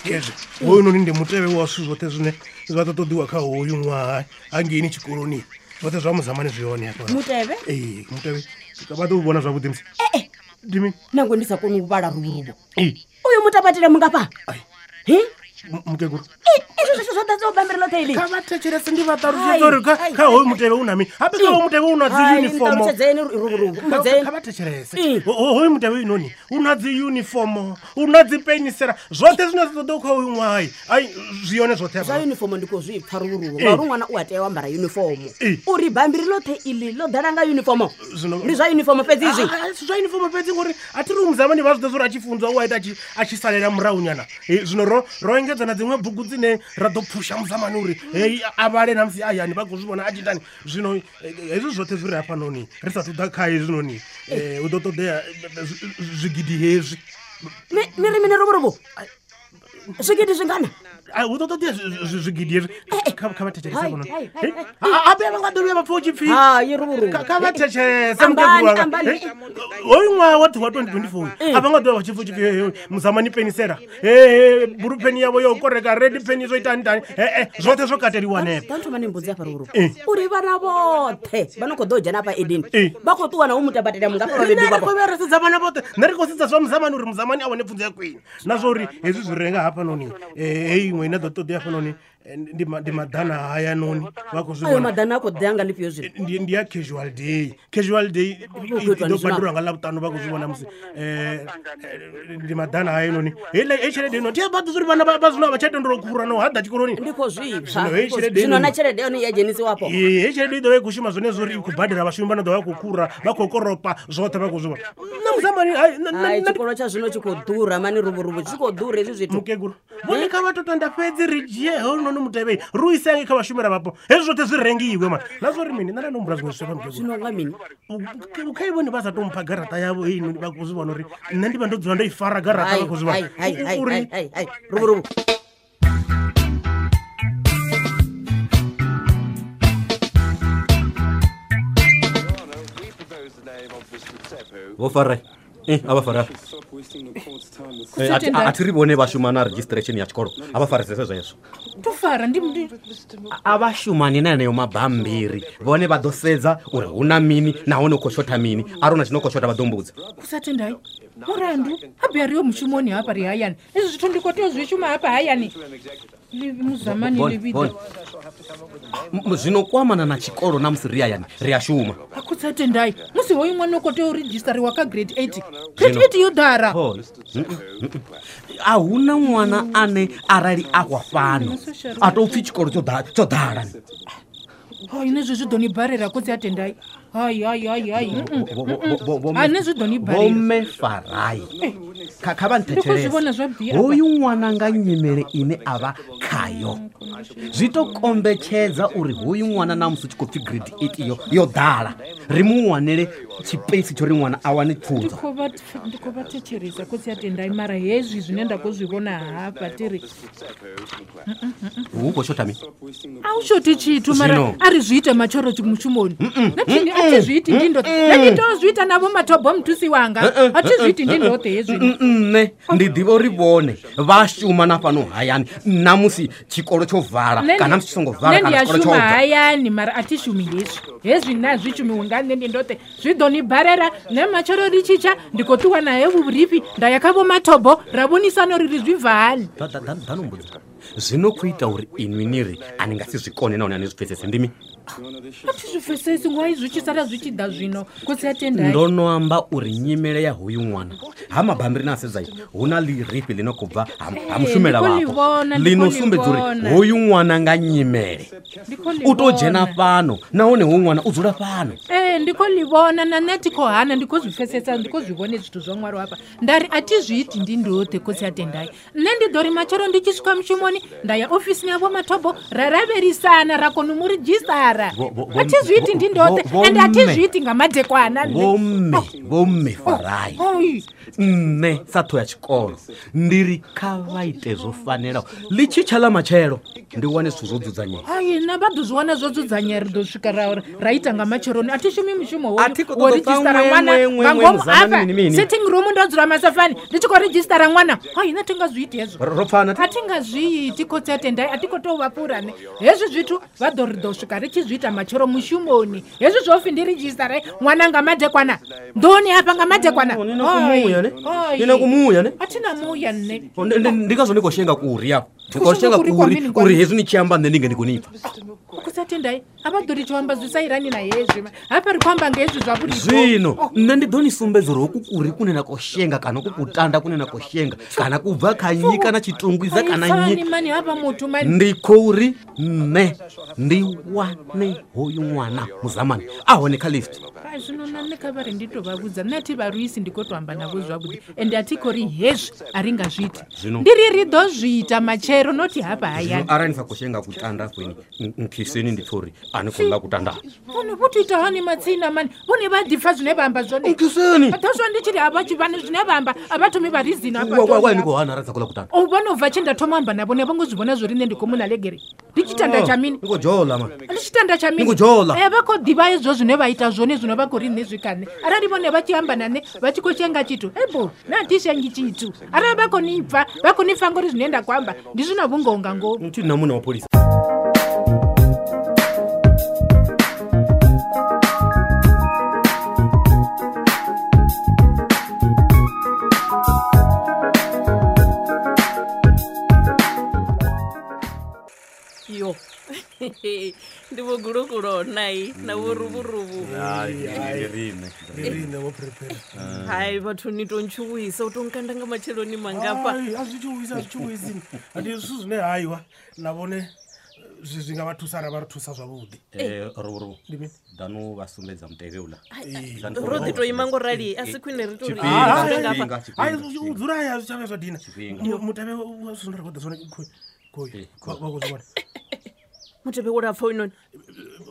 hezwi hoyunoni ndi mutevhe wa zwithu zwoṱhe zwine zwa ḓo ṱoḓiwa kha hoyu ṅwaha hangeini tshikoloni zwoṱhe zwa muzamani zwi hone hafha mutevhe ee mutevhe vha ḓo u vhona zwavhuḓi musi ndi mini nangwe ndi sa koni u vhala ruvhuruvo uyu mutapatele mungafha Hi? Mukegulu izwo zwithu zwo ḓadzaho bambiri ḽoṱhe ili kha vha thetshelese ndi vha ṱalutshedza uri kha hoyu mutevhe u na mini habe kha hoyu mutevhe u na dzi uniform ṱalutshedzeni ruvhuruvo mbudzeni kha vha thetshelese hoyu mutevhe inoni u na dzi uniform u na dzi penisela zwoṱhe zwine zwa ṱoḓa kha hoyu ṅwaha ai zwi yone zwoṱhe zwa uniform ndi khou zwi pfa ruvhuruvo ngauri ṅwana u a tea u ambara uniform uri bambiri ḽoṱhe iḽi ḽo ḓala nga uniform ndi zwa uniform fhedzi izwi si zwa uniform fhedzi ngori a thi ri muzamani vha zwi ḓo zwa uri a tshi funzwa u a ita a tshi salela murahunyana zwino ro ro engedza na dziṅwe bugu dzine ra ḓo phusha muzamani uri hei a vhale na musi hayani vha khou zwi vhona a tshi itani zwino hezwi zwoṱhe zwi re hafhanoni ri sathu ḓa kha hezwinoni hu ḓo ṱoḓea zwigidi hezwi ni ri mini ruvhuruvu zwigidi zwingana hu ḓo ṱoḓea zwigidi hezwi kha vha thetshelese vhona habe vha nga ḓo vhuya vha pfha u tshi pfhi kha vha thetshelese mukegulu wanga hoyu ṅwaha wa wa 2024 a vha nga ḓo vha vha tshi pfha u tshi pfhi muzamani penisela he bulu peni yavho yo koreka redi peni zwo itani tani ee zwoṱhe zwo kateliwa hanefho ḓa thoma ni mbudzi afha ruvhuruvu uri vhana vhoṱhe vha no khou ḓo dzhena afha edeni vha khou ṱuwa na u mutabatela mungafha vhabebi vhavho ri khou sedza vhana vhoṱhe nṋe ri khou sedza zwa muzamani uri muzamani a wane pfunzo ya kwini na zwa uri hezwi zwi renga hafhanoni heyi iṅwe ine ḓo ṱoḓea hafhanoni ndi maḓana hayanoni vha khou zwi ayo maḓana a khou ḓea nga lifhio zwino ndi ya casual day casual day i ḓo badelwa nga ḽavhuṱanu vha khou zwi vhona musi ndi maḓana hayanoni heiḽa heyi tshelede ino thi a vha ḓi uri vhana vha zwino a vha tsha tendela u khura no haḓa tshikoloni ndi khou zwi pfa zwino na tshelede yone ya dzhenisiwa afho ee heyi tshelede i ḓo vha i khou shuma zwone zwo uri i khou badela vhashumi vha no ḓo vha khou khura vha khou koropa zwoṱhe vha khou zwi vhona nṋe muzamani hai tshikolo tsha zwino tshi khou ḓura mani ruvhuruvu tshi khou ḓura hezwi zwithu mukegulu vhone kha vha to tenda fhedzi ri dzhie hounoni mutevhei ri u ise hange kha vhashumela vhapo hezwi zwoṱhe zwi rengiwe mani na zwa uri mini nṋe nda no humbula zwiṅwe zwithu hafha mukegulu zwino nga mini khai vhone vha sa tou mpha garaṱa yavho heinoni vha khou zwi vhona uri nṋe ndi vha ndo dzula ndo i fara garaṱa vha khou zwi vhona uri ruvhuruvu vho fara a vha fara a thi ri vhone vha shuma na registration ya tshikolo a vha farisese zwezwo to fara ndi a vha shumani na heneyo mabambiri vhone vha ḓo sedza uri hu na mini nahone u khou shotha mini arali hu na tshino khou shotha vha ḓo mbudza kusatendai mulandu habe ari yo mushumoni hafha ri hayani izwi zwithu ndi khou tea u zwi shuma hafha hayani muzamani ḽivhiḓa zwino kwamana na tshikolo na musi ri hayani ri a shuma akhutsa tendai musi hoyu ṅwana u khou tea u redzhistariwa kha grade 8 grade 8 yo ḓala a hu na ṅwana ane arali a wa fhano a tou pfhi tshikolo tsho ḓala hai nṋe zwi ḓo ni balela khotsi a tendai hai hai hai hai a nṋe zwi ḓo ni balela vhomme farai kha vha nthetshelese hoyu ṅwana nga nyimele ine a vha khayo zwi to kombetshedza uri hoyu ṅwana na musi u tshi khou pfhi grade 8 yo ḓala ri mu wanele tshipeisi tsho ri ṅwana a wane pfunzo. Ndi khou vha thetshelesa khotsi a Tendai, mara hezwi zwine nda khou zwi vhona hafha ti ri Hu khou shotha mini? A hu shothi tshithu, mara Zwino. a ri zwi ite matshoro mushumoni. Nṋe thi a thi zwi iti ndi ndoṱhe, nṋe ndi tou zwi ita na vho Mathobo muthusi wanga, a thi zwi iti ndi ndoṱhe hezwi. Nṋe ndi ḓivha uri vhone vha shuma na fhano hayani namusi tshikolo tsho vala Nṋe ndi- kana musi tshi songo vala nṋe ndi kana a tshikolo tsho shuma bva. hayani, mara a thi shumi hezwi. Hezwi na zwi shumiwi nga nṋe ndi ndoṱhe, zwi ḓo ni balela. Nṋe matshelo ri tshi tsha ndi khou ṱuwa naye vhurifhi nda ya kha vho Mathobo ra vhonisana uri ri zwi bva hani. Ḓano mbudzo zwino khou ita uri inwi ni ri a ni nga si zwi kone nahone a ni zwi pfesese ndi mini? A thi zwi pfesesi ngwai zwi tshi sala zwi tshi ḓa zwino khotsi a Tendai. Ndo no amba uri nyimele ya hoyu ṅwana ha mabambiri na sedza hu na ḽirifhi ḽi no khou bva ha Ee, mushumela ndi khou ḽi wapo vhona, ndi ḽi no khou ḽi sumbedza uri vhona. hoyu ṅwana nga nyimele Ndi khou ḽi u tou dzhena vhona. fhano nahone hoyu ṅwana u dzula fhano. Ee, ndi khou ḽi vhona na nṋe thi khou hana, ndi khou zwi pfesesa, ndi khou zwi vhone zwithu zwo ṅwalwa hafha. Nda ri a thi zwi iti ndi ndoṱhe khotsi a Tendai. Nṋe ndi ḓo ri matshelo ndi tshi swika mushumoni nda ya ofisini ya vho Mathobo ra lavhelisana ra kona u mu ridzhistara. A thi zwi iti ndi ndoṱhe ende a thi zwi iti nga madekwana nṋe. Vhomme, vhomme farai. Oi. Nṋe sa ṱho ya tshikolo ndi ri kha vha ite zwo fanelaho ḽi tshi tsha ḽa matshelo ndi wane zwithu zwo dzudzanyea. Ai, nṋe vha ḓo zwi wana zwo dzudzanyea, ri ḓo swika ra ita nga matsheloni. A thi shumi mushumo A thi khou wo ṱoḓa u pfa ridzhistara ṅwe, ṅwana ṅwe, ṅwe, nga ṅwe, ngomu muzamani hafha mini, mini. sitting room ndo dzula masofani ndi tshi khou ridzhistara ṅwana. Ai, nṋe thi nga zwi iti hezwo. Ro pfana A thi nga zwi iti khotsi a Tendai, a thi khou tou vha fhura nṋe. Hezwi zwithu vha ḓo ri ḓo swika ri tshi zwi ita matshelo mushumoni. Hezwi zwo pfhi ndi ridzhistare ṅwana nga madekwana nḓuni hafha nga madekwana. Ni na kumuya ne? Oi. Ni na kumuya ne? A thi na muya nṋe. Ndi ngazwo ndi khou shenga kuri afho, ndi khou Khou shenga shenga kuri kwa kuri mini, kwa uri mini? hezwi ni tshi amba nṋe ndi nge ndi khou ni pfa. Khotsi a Tendai a vha ḓo ri tshi amba zwi sa irani na hezwi hafha ri khou amba nga hezwi zwa vhurifhi. Zwino nṋe ndi ḓo ni sumbedza uri hoku kuri kune na khou shenga kana hoku kutanda kune na khou shenga kana ku bva kha nnyi kana tshitungwiza kana nnyi. Pfani mani hafha muthu mani. Ndi khou ri nṋe ndi wane hoyu ṅwana muzamani a hone kha lift. Ai, zwino na nṋe kha vha ri ndi tou vha vhudza, nṋe a thi vha luisi, ndi khou tou amba navho zwavhuḓi ende a thi khou ri hezwi a ri nga zwi iti. Zwino- Ndi ri ri ḓo zwi ita matshelo nothi hafha Zwino hayani. arali ni sa khou shenga kutanda afho nkhiseni ndi pfha uri a ni khou ḽa kutanda. Vhone vho to ita hani matsina mani, vhone vha ḓipfa zwine vha amba zwone. Nkhiseni. Ḓo zwa ndi tshi ri a vha tshi vhane zwine vha amba a vha thomi vha rizina hafha Wa nḓuni ni hafha. khou hana arali ni sa khou ḽa kutanda. O vhona u bva tshe nda thoma amba na vhone vho ngo zwi vhona zwo ri nṋe ndi khou muna legere. Ndi tshitanda tsha mini? Ni khou dzhola man. Ndi tshitanda tsha mini? Ni khou dzhola. Vha khou ḓivha hezwo zwine vha ita zwone zwino vha khou ri nṋe zwi kha nṋe. Arali vhone vha tshi amba na nṋe vha tshi khou shenga tshithu, ebo nṋe a thi shengi tshithu. Arali vha khou ni pfa, vha khou ni pfa ngori zwine nda khou amba ndi zwi na vhungoho nga ngomu. Thi na muṋe wa pholisa. Yo ndi vho gulukulo nai na vho ruvhuruvhu. Ndi riṋe. Ndi riṋe vho prepare. Hai vhathu ni to ntshuwisa u to nkanda nga matsheloni mangafha. Ai, a zwi tshuwisi, a zwi tshuwisi. Ndi zwithu zwine haiwa na vhone zwi nga vha thusa ra vha ri thusa zwavhuḓi. Ruvhuruvhu Ndi mini? ḓanu vha sumbedza mutevhe uḽa. Ro ḓi to ima ngo rali a si khwine ri to ri Tshifhinga, dzule ngafha. tshifhinga, Hai, tshifhinga. u dzula haya zwi tsha vhuya zwa dina. Tshifhinga. Mutevhe wa zwithu zwine ra khou ḓa zwone khoyu. Vha khou zwi vhona. Mutevhe wo lapfa hoyunoni.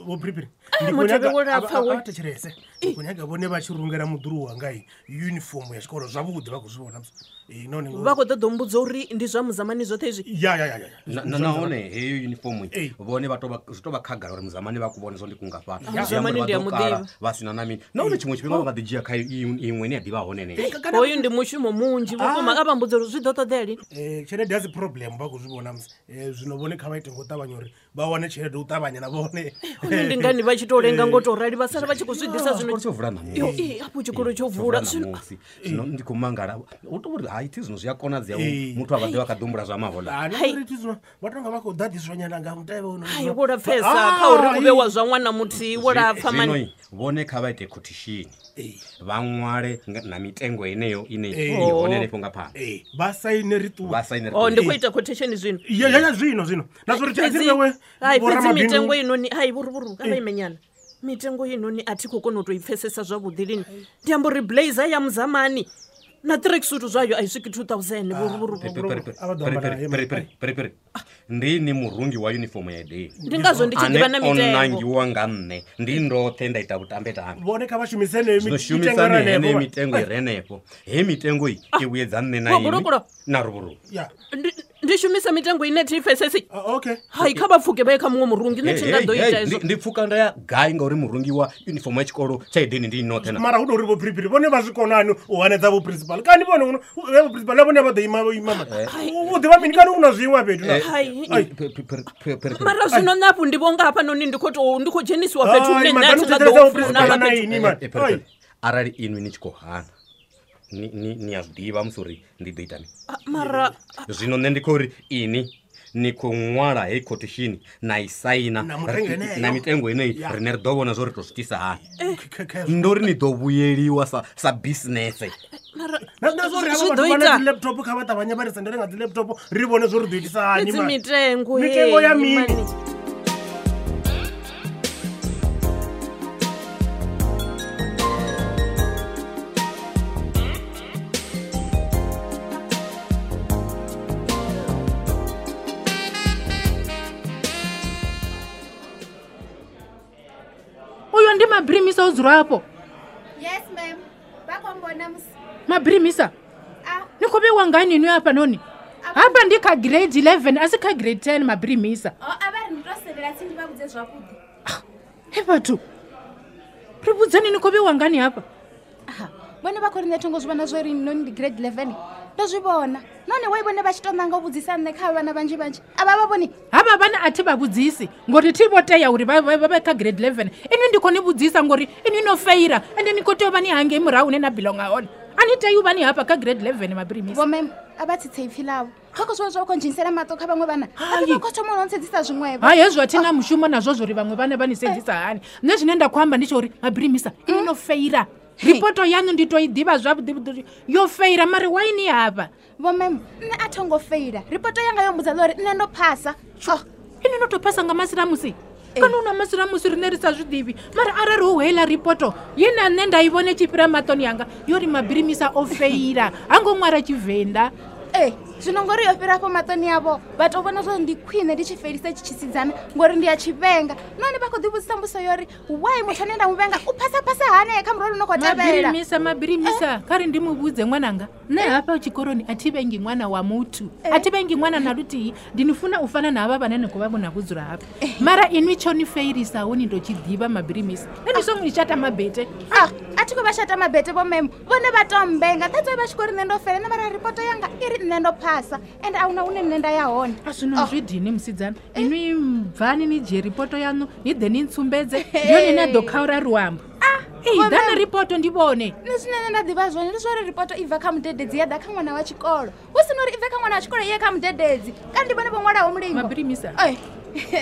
Vho Prepare. Mutevhe wo lapfa Vha thetshelese. Ndi khou nyaga vhone vha tshi rungela muḓulu wanga uniform ya tshikolo zwavhuḓi vha khou zwi vhona. Nahone Vha khou ṱoḓa u mbudza uri ndi zwa muzamani zwoṱhe izwi. Ya ya ya ya. Nahone heyo uniform vhone vha tou vha zwi tou vha khagala uri muzamani vha ku vhone zwo ndi kungafhani. Ah, Muzamani ndi a muḓivha. Vha sina na mini. Nahone tshiṅwe tshifhinga vha nga ḓi dzhia kha iṅwe ine ya ḓivha hone heneyo. Hoyu ndi mushumo munzhi vhukuma a vha mbudza uri zwi ḓo ṱoḓea lini. Tshelede a si problem vha khou zwi vhona musi. Zwino vhone kha vha ite ngo ṱavhanya uri vha wane tshelede u ṱavhanya na vhone. Hone ndi ngani vha tshi to lenga ngo to rali vha sala vha tshi khou zwi ḓisa zwino. Tshikolo tsho vula ṋamusi. Yo, ee, hafho tshikolo tsho vula zwino. ṋamusi. Zwino ndi khou mangala hu tou uri hai thi zwino zwi a konadzea Ee. muthu a vha ḓivha kha ḓi humbula zwa mahoḽa. Ah, na uri thi zwino vha tonga vha khou ḓaḓiswa nyana nga mutevhe hono. Hai wo lapfesa kha uri u vhe wa zwa ṅwana muthihi wo lapfa mani. Zwino vhone kha vha ite quotation vha ṅwale na mitengo yeneyo ine Ee. i hone henefho nga phanḓa. Ee, vha saine ri ṱuwe. Vha saine ri O ndi ṱuwe. khou ita quotation zwino. Ya ya ya zwino zwino. Na zwo ri Fhedzi thi wewe. hai fhedzi mitengo inoni hai vhuruvhuru kha vha imenyana. Mitengo inoni a thi khou kona u to i pfesesa zwavhuḓi lini. Ndi amba uri blazer ya muzamani Na tracksuit zwayo a i swiki 2000 Pere ndi ni murungi wa uniform ya Edeni. Ndi ngazwo ndi tshi ḓivha na mitengo. Ane o nangiwa nga nṋe, ndi ndoṱhe nda ita vhutambetambe. Vhone kha vha shumisene mitengo mitengo i re henefho. He mitengo i i vhuyedza nṋe na ini na ruvhuru. Ndi shumisa mitengo ine thi pfesesi. Okay. Hai kha vha pfuke vha ye kha muṅwe murungi, nṋe thi nga ḓo ita izwo. Ndi pfuka nda ya gai ngauri murungi wa uniform ya tshikolo tsha Edeni ndi noṱhe na. Mara hu tou ri vho Phiriphiri vhone vha zwi konani u hanedza vho principal. Kani vhone vho principal na vhone vha ḓo ima ima. U ḓivha mini kani u na zwiṅwe fhethu na. Mara zwino nṋe hafhu ndi vho nga hafhanoni ndi khou tou ndi khou dzhenisiwa fhethu hune nṋe a thi nga ḓo funa fhethu. Arali inwi ni tshi khou hana ni a zwi ḓivha musi uri ndi ḓo ita mini. Mara zwino nṋe ndi khou ri ini ni khou ṅwala hei quotation na i saina na mitengo yeneyi, rine ri ḓo vhona zwo ri tou zwi itisa hani. Ndo ri ni ḓo vhuyeliwa sa business. Na zwo ri havha vhathu vha na dzi laptop kha vha ṱavhanye vha ri sendele nga dzi laptop ri vhone zwo ri ḓo itisa hani. Mitengo mitengo ya mini? Uyo ndi Mabrimisa o dzula afho. Yes ma'am. Vha khou mbona musi. Mabrimisa. Ni khou vhewa ngani inwi hafhanoni? Hafha ndi kha grade 11 a si kha grade 10 Mabrimisa. Oh, a vha ri ndi to sendela tsini vha vhudze zwavhuḓi. He vhathu. Ri vhudzeni ni khou vhewa ngani hafha? Aha. Vhone vha khou ri nṋe tho ngo zwi vhona zwo ri noni ndi grade 11. Ndo zwi vhona. Nahone wai vhone vha tshi to nanga u vhudzisa nṋe kha vhana vhanzhi vhanzhi. A vha vha vhoni. Havha vhana a thi vha vhudzisi ngori thi vho tea uri vha vhe kha grade 11. Inwi ndi khou ni vhudzisa ngori inwi no feira ende ni khou tea u vha ni hangei murahu hune na belonga hone. A ni tei u vha ni hafha kha grade 11 Mabrimisa. Vho ma'am, a vha tsitse ipfi ḽavho. Kha khou zwi vha khou ndzhenisela maṱo kha vhaṅwe vhana. A vha khou thoma u ntsedzisa zwiṅwevho. Hai hezwo a thi na mushumo nazwo zwo ri vhaṅwe vhana vha ni sedzisa hani. Nṋe zwine nda khou amba ndi tsha uri Mabrimisa inwi no feira. Ripoto yanu ndi to i ḓivha zwavhuḓi yo feira mara why ni hafha? Vho ma'am, nṋe a tho ngo feila. Ripoto yanga yo mbudza uri nṋe ndo phasa. Inwi no to phasa nga masilamusi. Kana una masilamusi rine ri sa zwi ḓivhi. Mara arali hu heiḽa ripoto ye na nṋe nda i vhone tshi fhira maṱoni yanga yo ri Mabrimisa o feila. Ha ngo ṅwala Tshivenḓa. Zwino ngori yo fhira afho maṱoni avho vha to vhona zwo ndi khwine ndi tshi felisa tshi tshisidzana ngori ndi a tshivhenga. Nahone vha khou ḓivhudzisa mbudziso yo ri why muthu ane nda mu vhenga u phasa phasa hani kha murole no khou tevhela. Mabrimisa kha ri ndi mu vhudze ṅwananga. Nṋe hafha tshikoloni a thi vhengi ṅwana wa muthu. A thi vhengi ṅwana na luthihi. Ndi ni funa u fana na havha vhane ni khou vha vhona vho dzula hafha. Mara inwi tsho ni feilisaho ni ndo tshi ḓivha Mabrimisa. Nṋe ndi songo ni shata mabete. A thi khou vha shata mabete vho ma'am. Vhone vha to mbenga. That's why vha tshi khou ri nṋe ndo fela na mara ripoto yanga i ri nṋe ndo phasa and a huna hune nṋe nda ya hone. A zwino zwi dini musidzana. Inwi bvani ni dzhie ripoto yanu ni ḓe ni ntsumbedze ndi yone ine a ḓo khaura luambo. Ei ḓana ripoto ndi vhone. Nṋe zwine nṋe nda ḓivha zwone ndi zwa uri ripoto i bva kha mudededzi ya ḓa kha ṅwana wa tshikolo. Hu si na uri i bve kha ṅwana wa tshikolo i ye kha mudededzi. Kana ndi vhone vho ṅwalaho mulingo. Mabrimisa.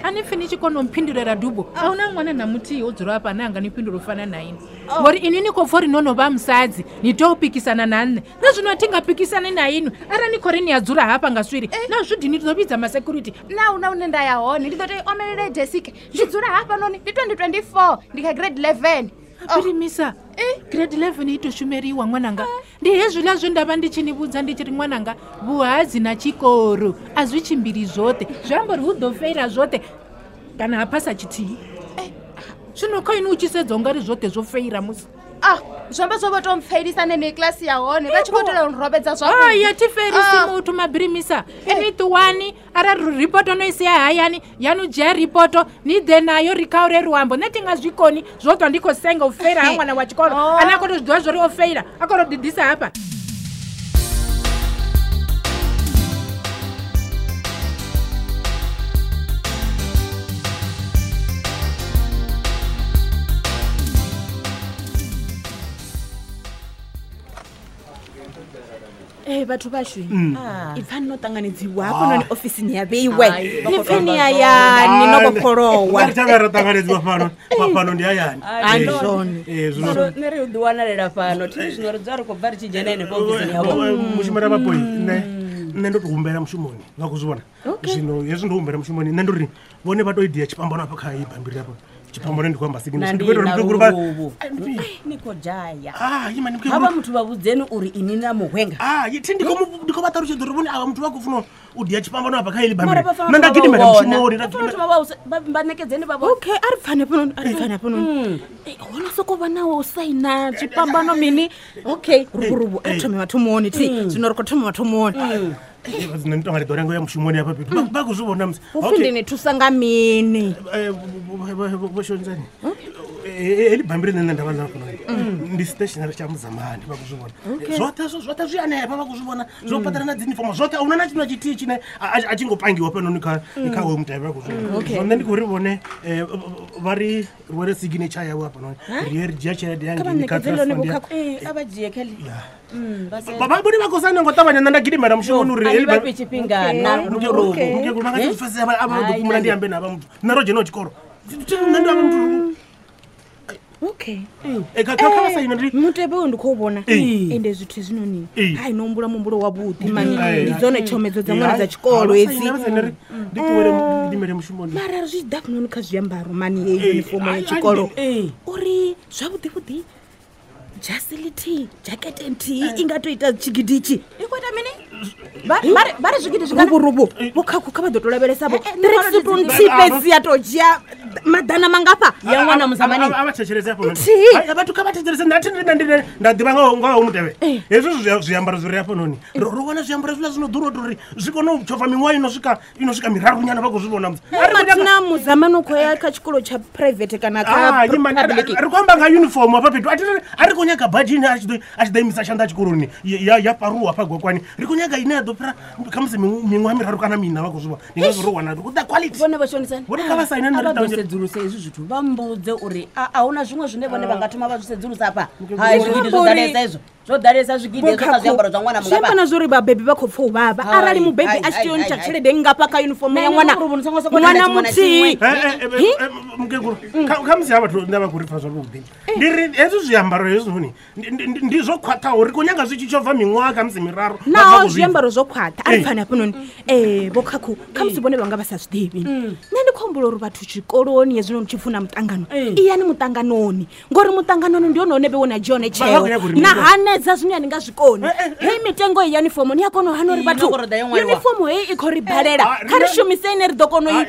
A ni pfi ni tshi kona u mphindulela dubo. A huna ṅwana na muthihi o dzula hafha ane a nga ni fhindula u fana na ini. Ngori inwi ni khou pfa uri no no vha musadzi ni tea u pikisana na nṋe. Nṋe zwino a thi nga pikisani na inwi arali ni khou ri ni a dzula hafha nga swiri. Na zwi dini ndi ḓo vhidza ma security. Na huna hune nda ya hone ndi ḓo tea u omelela desike. Ndi dzula hafhanoni ndi 2024 ndi kha grade 11. Mabrimisa. Grade 11 i to shumeliwa ṅwananga. Ndi hezwiḽa zwe nda vha ndi tshi ni vhudza ndi tshi ri ṅwananga vhuhadzi na tshikoro a zwi tshimbili zwoṱhe. Zwi amba uri hu ḓo feila zwoṱhe kana ha phasa tshithihi. Zwino kha inwi u tshi sedza ungari zwoṱhe zwo feila musi. Zwi amba zwo vho to mpfelisa neneyi kilasi ya hone vha tshi khou itela u nrobedza zwavhuḓi. Hai a thi felisi muthu Mabrimisa. Inwi ṱuwani arali ripoto no i sia hayani yanu dzhia ripoto ni ḓe nayo ri khaure luambo. Nṋe thi nga zwi koni zwo ṱwa ndi khou senga u feila ha ṅwana wa tshikolo ane a khou tou zwi ḓivha zwo ri o feila a khou tou ḓiḓisa hafha. Vhathu vhashu ipfani no ṱanganedziwa hafhanoni ofisini ya vheiwe ni pfeni hayani no vhofholowa. Ri thavha ro ṱanganedziwa fhano fhano ndi hayani. Zwino nṋe ri u ḓi wanalela fhano thi zwino ri dzula ri khou bva ri tshi dzhena henefho ofisini yavho. Mushumela vhapoi nṋe ndo to humbela mushumoni nga khou zwi vhona. Zwino hezwi ndo humbela mushumoni nṋe ndo ri vhone vha to idia tshifhambano hafha kha iyi bambiri hafha. Tshipambano ndi khou amba Na signature. ndi Ndi khou ita uri na mukegulu vha luvhuvhu. Ni khou dzhaya. Ah, ima ndi mukegulu. Havha muthu vha vhudzeni uri ini na muhwenga. Ah, thi ndi khou ndi khou vha ṱalutshedza uri vhone avha muthu vha khou funa u dia tshipambano afha kha heḽi Mara bammbiri. vha fanela Nṋe nda u thoma gidimela vha u vhona. mushumoni, nda Vha fanela u gidimela. thoma vha ṋekedzeni vha vhone. Okay, a ri pfane hafhanoni, a ri pfane hafhanoni. Ho no sokou vha nawo u saina tshipambano mini. Okay, ruvhuruvhu a ri thome mathomoni thi. Zwino ri khou thoma mathomoni. Nṋe ndi tonga ndi ḓo lenga u ya mushumoni hafha fhethu. Vha khou zwi vhona musi. Upfi ndi ni thusa nga mini? Vho Shonzani. Heḽi bammbiri ḽine nṋe nda vha ḽa hafhanoni ndi stationary tsha Muzamani, vha khou zwi vhona. Zwoṱhe zwo zwoṱhe zwi hanefha vha khou zwi vhona. Zwo patela na dzi uniform zwoṱhe a huna na tshithu na tshithihi tshine a tshi ngo pangiwa fhanoni kha hoyo mutevhe vha khou zwi vhona. Okay. Zwino nṋe ndi khou ri vhone vha ri rwele signature yawe hafhanoni. Ri ye ri dzhia tshelede ya Kha vha hangeini kha ṋekedze trust ḽone fund ya- vhukhakhi. Ee, a vha dzhie kheḽi. Vha se- Vha vhone vha khou saina ngo ṱavhanya nṋe nda gidimela mushumoni uri A ni heḽi vha bammbiri- fhe tshifhinga na luvhuruvhu. Mukegulu vha nga si pfesese a vha ḓo Hai, fhumula ndi nandi. ambe na havha muthu. Nṋe ro dzhenaho tshikolo. Nṋe ndi havha muthu. Okay. Kha vha saine ndi Mutevhe uyu ndi khou vhona. Ee. Ende zwithu hezwinoni. Ee. Hai no humbula muhumbulo wavhuḓi mani. Ee. Ndi dzone tshomedzo dza ṅwana Hai, dza tshikolo ha, vha hedzi. saine, vha saine ri ndi ṱuwele ndi gidimele mushumoni. Mara zwi tshi ḓa hafhanoni kha zwiambaro mani heyi Ee, uniform ya ai, ai, tshikolo. Ee. Uri zwavhuḓi vhuḓi jasi ḽithihi, jakete nthihi i nga to ita tshigidi itshi. I khou ita mini? Vha ri zwigidi zwingana? Ruvhuruvhu vho khakhu kha vha ḓo to lavhelesa vho. Eh, eh, nṋe Tracksuit vha ri nthihi fhedzi ya to dzhia maḓana mangafha. Ya ṅwana Muzamani. A vha thetshelese hafhanoni. Nthihi. Hai, vhathu kha vha thetshelese nṋe a thi nda ndi nda ḓivha nga ho mutevhe. Hezwi zwiambaro zwi re hafhanoni. Ro wana zwiambaro hezwiḽa zwino ḓura uri zwi kone u tshova miṅwaha ino swika miraru nyana vha khou zwi vhona musi. A ri khou nyaga- Mathina Muzamani u khou ya kha tshikolo tsha private kana kha Ah, ima, public. ri khou amba nga uniform hafha fhethu. A thi a ri khou nyaga badzhi ine a tshi ḓo imisa tshanḓa tshikoloni ya paruwa hafha gwakwani. Ri khou nyaga ine ya ḓo fhira khamusi miṅwaha miraru kana miṋa vha khou zwi vhona. Ndi ngazwo ro wana the quality. Vhone vha shonisani. Vhone kha vha saine A nṋe vha ri ḓo ṱavhanye. sedzulusa hezwi zwithu vha mbudze uri a huna zwiṅwe zwine vhone vha nga thoma vha zwi sedzulusa hafha. Mukegulu, Hai, zwigidi zwo Uri- ḓalesa hezwo. Zwo ḓalesa zwigidi hezwo kha zwiambaro zwa ṅwana Zwi amba mungafha. na zwori vhabebi vha khou pfa u vhavha Hai, arali mubebi hai, a tshi tea u hai, ntsha hai, tshelede nngafha kha uniform ya Nṋe ṅwana ndi uri ni songo sokou ṅwana tenda tshiṅwe na muthihi. tshiṅwe. Mukegulu, khamusi ha vhathu nda vha khou ri pfa zwavhuḓi. Ndi ri hezwi zwiambaro hezwinoni ndi zwo khwaṱhaho ri khou nyaga zwi tshi tshova miṅwaha khamusi miraru. Vha Naho khou zwi pfa. zwiambaro zwo khwaṱha a ri Ee. pfani hafhanoni vho khakhu khamusi vhone vha nga vha sa zwi ḓivhi. Nṋe ndi khou humbula uri vhathu tshikoloni hezwinoni tshi pfuna muṱangano iyani muṱanganoni ngori muṱanganoni ndi hone hone vhe wona dzhia hone Vha tsheo khou nyaga uri na mini? hanedza zwine a ni nga zwi koni. Heyi mitengo iyi ya uniform ni a kona u hana uri Ino vhathu koroda yo ṅwaliwa. uniform heyi i khou ri balela Ah, kha ri rine- shumise ine ri ḓo kona Hai.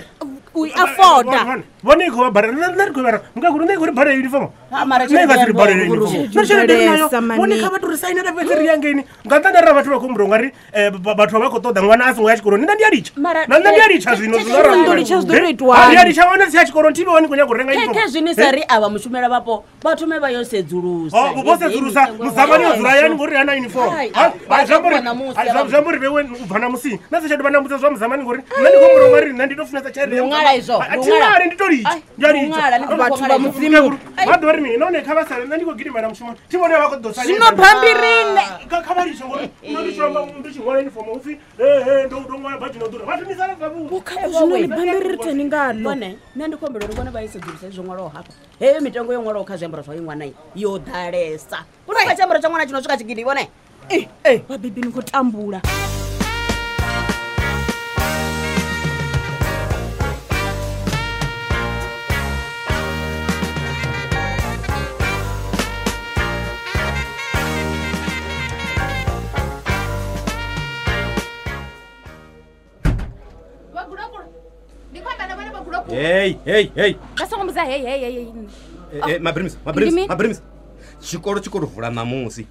u i afforda. Vhone i khou vha badela nṋe ri khou vha mukegulu nṋe i khou ri badela uniform. Ha, mara Nṋe i nga si ri tshelede badele ya uniform. vhuruvhu. Nṋe tshelede ri nayo. Ḓalesa, mani. Vhone kha vha tou ri sainela fhedzi ri yangeini. Nga nṱhani arali vhathu vha khou humbula ungari vhathu vha khou ṱoḓa ṅwana a songo ya tshikoloni. Nṋe ndi a litsha. Mara- Na nṋe ndi a litsha zwino zwino Zwino ndo litsha zwi ḓo tou itwani? Ndi a litsha ṅwana si ya tshikoloni thi vhe ni khou nyaga u renga uniform. Khezwi ni sa ri avha mushumela vhapo vha thome vha yo sedzulusa. Oh, vho sedzulusa Muzamani o dzula hayani ngori hana uniform. Hai, Ha, vha ha, zwi amba uri- ṱuwa ṋamusi ha, avha zwi amba uri vhewe u bva ṋamusi. Nṋe si tsha dovha nda mbudza zwa Muzamani ngori nṋe ndi khou humbula ungari nṋe ndi tou funesa tshelede ya Ndi u ṅwala Muzamani. izwo, A ndi u thi ṅwala. ṅwali, ndi tou litsha. Ai, Ndi a ndi u litsha. ṅwala, ni khou Vhathu ṅwala vha izwo. Mudzimu. Vha ḓo ri mini? Nahone kha vha sale nṋe ndi khou gidimela mushumoni. Thi vhone vha khou ḓo saina. Zwino bambirini Kha vha litshe ngori nṋe ndi tshi amba ndi tshi ṅwala uniform hu pfi ndo ṅwala badzhi no ḓura. Vhathu ni sala zwavhuḓi. Vho-Khakhu zwino ni bambiri ri teni ngalo. Vhone nṋe ndi khou humbela uri vhone vha i sedzulusa hezwo ṅwalaho hafha. Heyo mitengo yo ṅwalaho kha zwiambaro zwa ṅwana yo ḓalesa. Hu na kha tshiambaro tsha ṅwana tshi no swika tshigidi vhone. Vhabebi ni khou tambula. Vho Gulokulu. Ndi khou amba na vhone Vho Gulokulu. Hey, hey, hey. Vha songo mbudza hey hey hey hey. Mabrims, Ndi Mabrims, mini? Mabrims. Tshikolo tshi khou tou vula ṋamusi.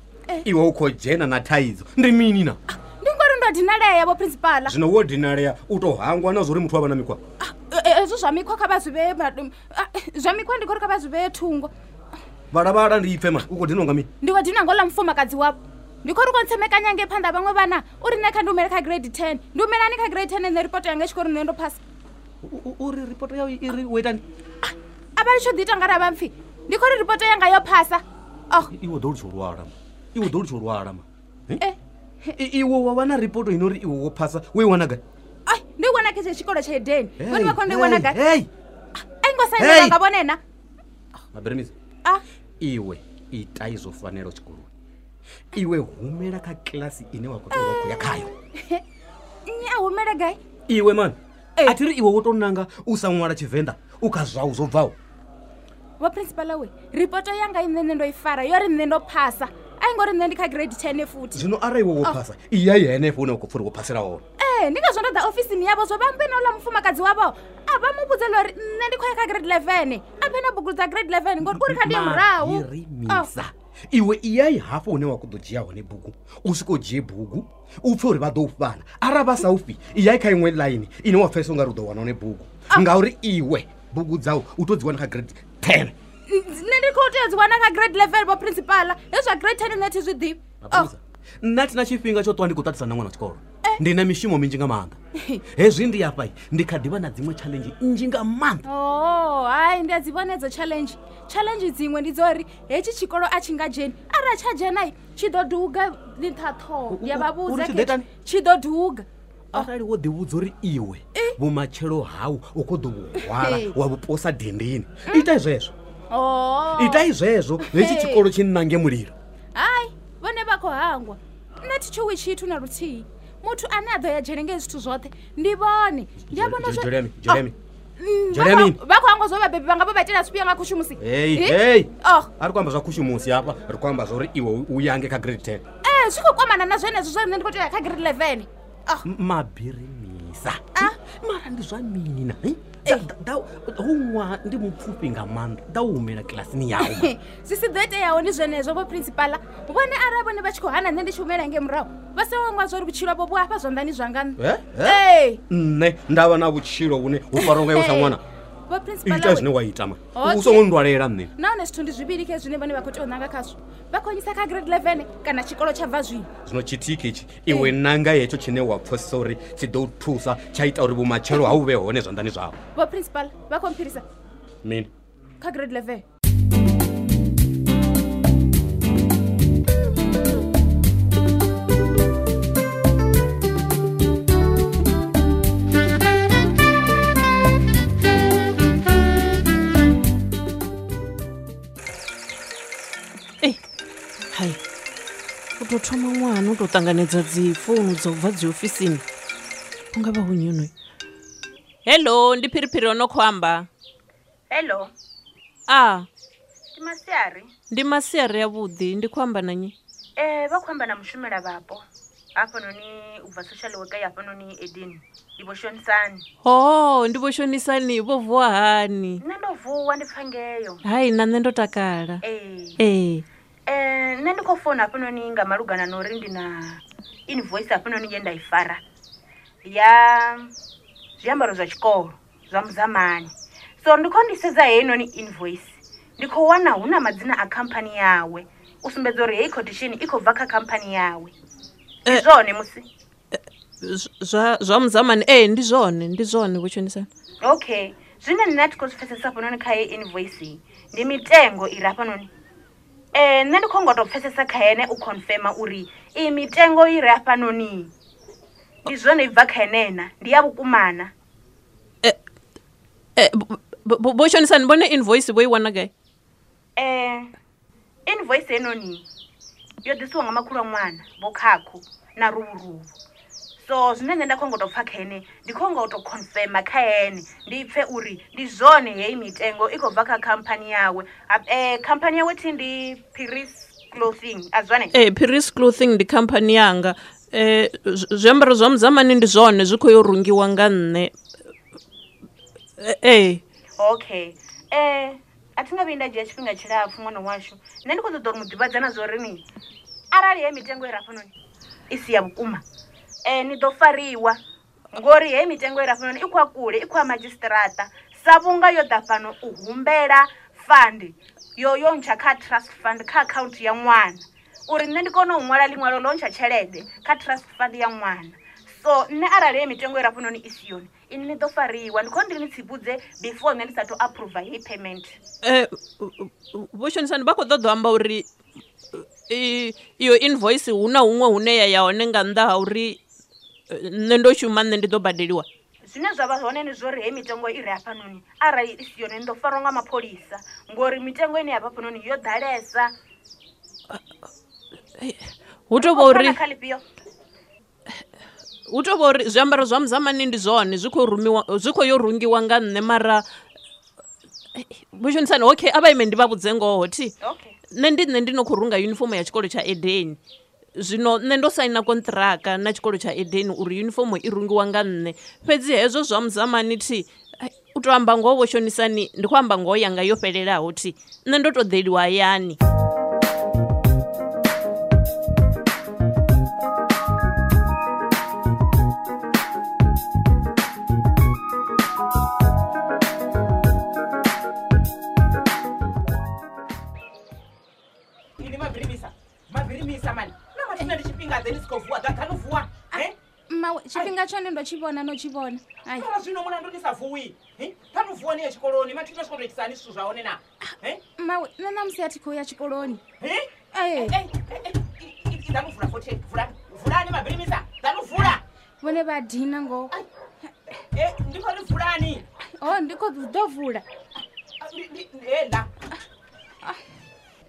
Iwe u khou dzhena na thaidzo. Ndi mini na? Ndi ngori ndo dinalea vho principal. Zwino wo dinalea u tou hangwa na zwori muthu wa vha na mikhwa. Hezwo zwa mikhwa kha vha zwi vhee zwa mikhwa ndi khou ri kha vha zwi vhee thungo. Vhalavhala ndi ipfe ma, u khou dinwa nga mini? Ndi khou dinwa ngo ḽa mufumakadzi wavho. Ndi khou ri khou ntsemekanya ngei phanḓa vhaṅwe vhana uri nṋe kha ndi humele kha grade 10. Ndi humelani kha grade 10 nṋe ripoto yanga i tshi khou ri nṋe ndo phasa. Uri ripoto yau i ri wo itani? A vha litsho ḓi ita nga ra vha mpfi. Ndi khou ri ripoto yanga yo phasa. Oh, Iwe ḓo litsha u lwala ma. Iwe ḓo litsha u lwala ma. eh. Iwe wa wana ripoto ino ri iwe wo phasa, wo i wana gai? Ai, ndi i wana kha tshikolo tsha Edeni. Vhone vha khou ndo i wana gai? Hey! A i ngo sainelwa Hey! nga vhone na. Mabrims. Ah. Iwe itai zwo fanelaho tshikoloni. Iwe humela kha kilasi ine wa khou tea u vha khou ya khayo. Nnyi a humele gai? Iwe mani, a thi ri iwe wo tou nanga u sa ṅwala Tshivenḓa u kha zwau zwo bvaho. Vho principal we ripoto yanga i nṋe ndo i fara yo ri nṋe ndo phasa. A i ngori nṋe ndi kha grade 10 futhi. Zwino arali iwe wo phasa iya henefho hune wa khou pfha uri wo phasela hone. Ee, ndi ngazwo ndo ḓa ofisini yavho zwo vha ambe na uḽa mufumakadzi wavho. A vha mu vhudze ḽa uri nṋe ndi khou ya kha grade 11. A phe na bugu dza grade 11 ngori uri kha ndi ye murahu. Mabhirimisa. Iwe iyai hafho hune wa khou ḓo dzhia hone bugu u swika u dzhie bugu u pfhe uri vha ḓo u fhana. Arali vha sa u fhi iyai kha iṅwe ḽaini ine wa pfhesesa ungari u ḓo wana hone bugu, ngauri iwe bugu dzau u tou dzi wana kha grade 10. Nṋe ndi khou tea u dzi wana kha grade 11 vho principal. Hezwi zwa grade 10 nṋe thi zwi ḓivhi. Mapholisa, nṋe a thi na tshifhinga tsho ṱwa ndi khou ṱaṱisana na ṅwana wa tshikolo. Ndi na mishumo minzhi nga maanḓa. Hezwi ndi afha ndi kha ḓivha na dziṅwe challenge nnzhi nga maanḓa. Oh, hai ndi a dzi vhona edzo challenge. Challenge dziṅwe ndi dzo uri hetshi tshikolo a tshi nga dzheni. Arali tsha dzhena tshi ḓo duga nṱha ṱhoho. Ndi a vha vhudza Uri tshi ḓo itani? Tshi ḓo duga. Arali wo ḓivhudza uri iwe vhumatshelo hau u khou ḓo vhu hwala wa vhu posa dindini, itai zwezwo. Oh. Itai zwezwo hetshi tshikolo tshi nange mulilo. Hai, vhone vha khou hangwa. Nṋe thi tshuwi tshithu na luthihi. Muthu ane a ḓo ya dzhele nga hezwi zwithu zwoṱhe ndi vhone. Ndi a vhona zwo Jeremy, Jeremy. Jeremy. Vha khou hangwa zwo vhabebi vhanga vho vha itela zwifhio nga khushumusi. Hey, hey. Oh. A ri khou amba zwa khushumusi hafha, ri khou amba zwa uri iwe u yange kha grade 10. Zwi khou kwamana na zwenezwo zwa nṋe ndi khou tea kha grade 11. Oh. Mabirimisa. Mara ndi zwa mini na? Hu ṅwaha ndi mupfufhi nga maanḓa, ḓa u humela kilasini yau. Zwi si ḓo iteaho ndi zwenezwo vho principal. Vhone arali vhone vha tshi khou hana nṋe ndi tshi humela ngei murahu, vha songo hangwa zwa uri vhutshilo havho vhu afha zwanḓani zwanga nṋe. Ee. Nṋe nda vha na vhutshilo vhune hu farwa nga iwe sa ṅwana. Vho principal Ita zwine wa ita ma. Okay. U songo nndwalela nṋe. Nahone zwithu ndi zwivhili khe zwine vhone vha khou tea u nanga khazwo. Vha khou nyisa kha grade 11 kana tshikolo tsha bva zwino. Zwino tshithihi ketshi iwe nanga hetsho tshine wa pfesesa uri tshi ḓo thusa tsha ita uri vhumatshelo hau vhe hone zwanḓani zwau. Vho principal vha khou mphirisa Mini? kha grade 11. Hai, u tou thoma ṅwana u tou ṱanganedza dzi founu dzo bva dzi ofisini. U nga vha hu nnyi honoyu? Hello, ndi Phiriphiri o no khou amba. Hello. A. Ndi masiari. Ndi masiari avhuḓi, ndi khou amba na nnyi? Vha khou amba na mushumela vhapo hafhanoni u bva social worker ya hafhanoni Eden. Ndi vho Shonisani. Ho, ndi vho Shonisani, vho vuwa hani? Nṋe ndo vuwa ndi pfa ngeyo. Hai, na nṋe ndo takala. Ee. Nṋe ndi khou founa hafhanoni nga malugana na uri ndi na invoice hafhanoni ye nda i fara ya zwiambaro zwa tshikolo zwa Muzamani. So ndi khou ndi sedza heinoni invoice, ndi khou wana hu na madzina a khamphani yawe u sumbedza uri heyi quotation i khou bva kha khamphani yawe. Ndi zwone musi? Zwa Muzamani, ee ndi zwone, ndi zwone vho Shonisani. Okay, zwine nṋe a thi khou zwi pfesesa hafhanoni kha heyi invoice ndi mitengo i re hafhanoni. Nṋe ndi khou ngo tou pfesesa kha ene u confirma uri iyi mitengo i re hafhanoni ndi zwone i bva kha ene na, ndi ya vhukumana. Vho Shonisani, vhone invoice vho i wana gai? Invoice heinoni yo ḓisiwa nga makhulu a ṅwana vho Khakhu na Ruvhuruvhu. So zwine nṋe nda khou ngo tou pfa kha ene, ndi khou ngo tou confirma kha ene, ndi pfe uri ndi zwone heyi mitengo i khou bva kha khamphani yawe. Khamphani yawe thi ndi Paris Clothing, a zwone? Paris Clothing ndi khamphani yanga. Zwiambaro zwa Muzamani ndi zwone zwi khou yo rungiwa nga nṋe. Okay. A thi nga vhuyi nda dzhia tshifhinga tshilapfhu ṅwana washu. Nṋe ndi khou ṱoḓa uri mu ḓivhadza na zwa uri ni arali heyi mitengo i re hafhanoni i si ya vhukuma, ni ḓo fariwa ngori heyi mitengo i re hafhanoni i khou ya kule, i khou ya madzhisiṱiraṱa sa vhunga yo ḓa fhano u humbela fund yo yo ntsha kha trust fund kha akhaunthu ya ṅwana, uri nṋe ndi kone u ṅwala ḽiṅwalo ḽo ntsha tshelede kha trust fund ya ṅwana. So nṋe arali heyi mitengo i re hafhanoni i si yone, ini ni ḓo fariwa. Ndi khou ndi ni tsivhudze before nṋe ndi sathu approve heyi payment. Vho Shonisani vha khou ṱoḓa u amba uri iyo invoice hu na huṅwe hune ya ya hone nga nnḓa ha uri nṋe ndo shuma, nṋe ndi ḓo badeliwa. Zwine zwa vha hone ndi zwori heyi mitengo i re hafhanoni arali i si yone ni ḓo farwa nga mapholisa, ngori mitengo ine ya vha hafhanoni yo ḓalesa. Hu tou vha uri Kha ḽifhio? Hu tou vha uri zwiambaro zwa Muzamani ndi zwone zwi khou rumiwa, zwi khou yo rungiwa nga nṋe, mara Vho Shonisani, okay, a vha ime ndi vha vhudze ngoho thi. Nṋe ndi nṋe ndi no khou runga yunifomo ya tshikolo tsha Edeni. Zwino nṋe ndo saina konṱiraka na tshikolo tsha Edeni uri yunifomo i rungiwa nga nṋe. Fhedzi hezwo zwa Muzamani thi, u to amba ngoho Vho Shonisani, ndi khou amba ngoho yanga yo fhelelaho thi. Nṋe ndo to ḓeliwa hayani. Ini mabirimisa, mabirimisa mani. Na mathina ndi tshifhinga ḓe ni si khou vuwa, ḓa no vuwa. Mmawe, tshifhinga tshone ndo tshi vhona, no tshi vhona. Ai. Mara zwino mulandu ni sa vuwi. Ṱhanu vuwa ni ye tshikoloni, mathina tshi khou tou itisani zwithu zwa hone na. Mmawe, nṋe ṋamusi a thi khou ya tshikoloni. Ee. Ḓanu vula fothi, vulani. Vulani mabirimisa, ḓanu vula. Vhone vha dina ngoho. Ndi khou ri vulani. Oh, ndi khou ḓo vula. Ḽa.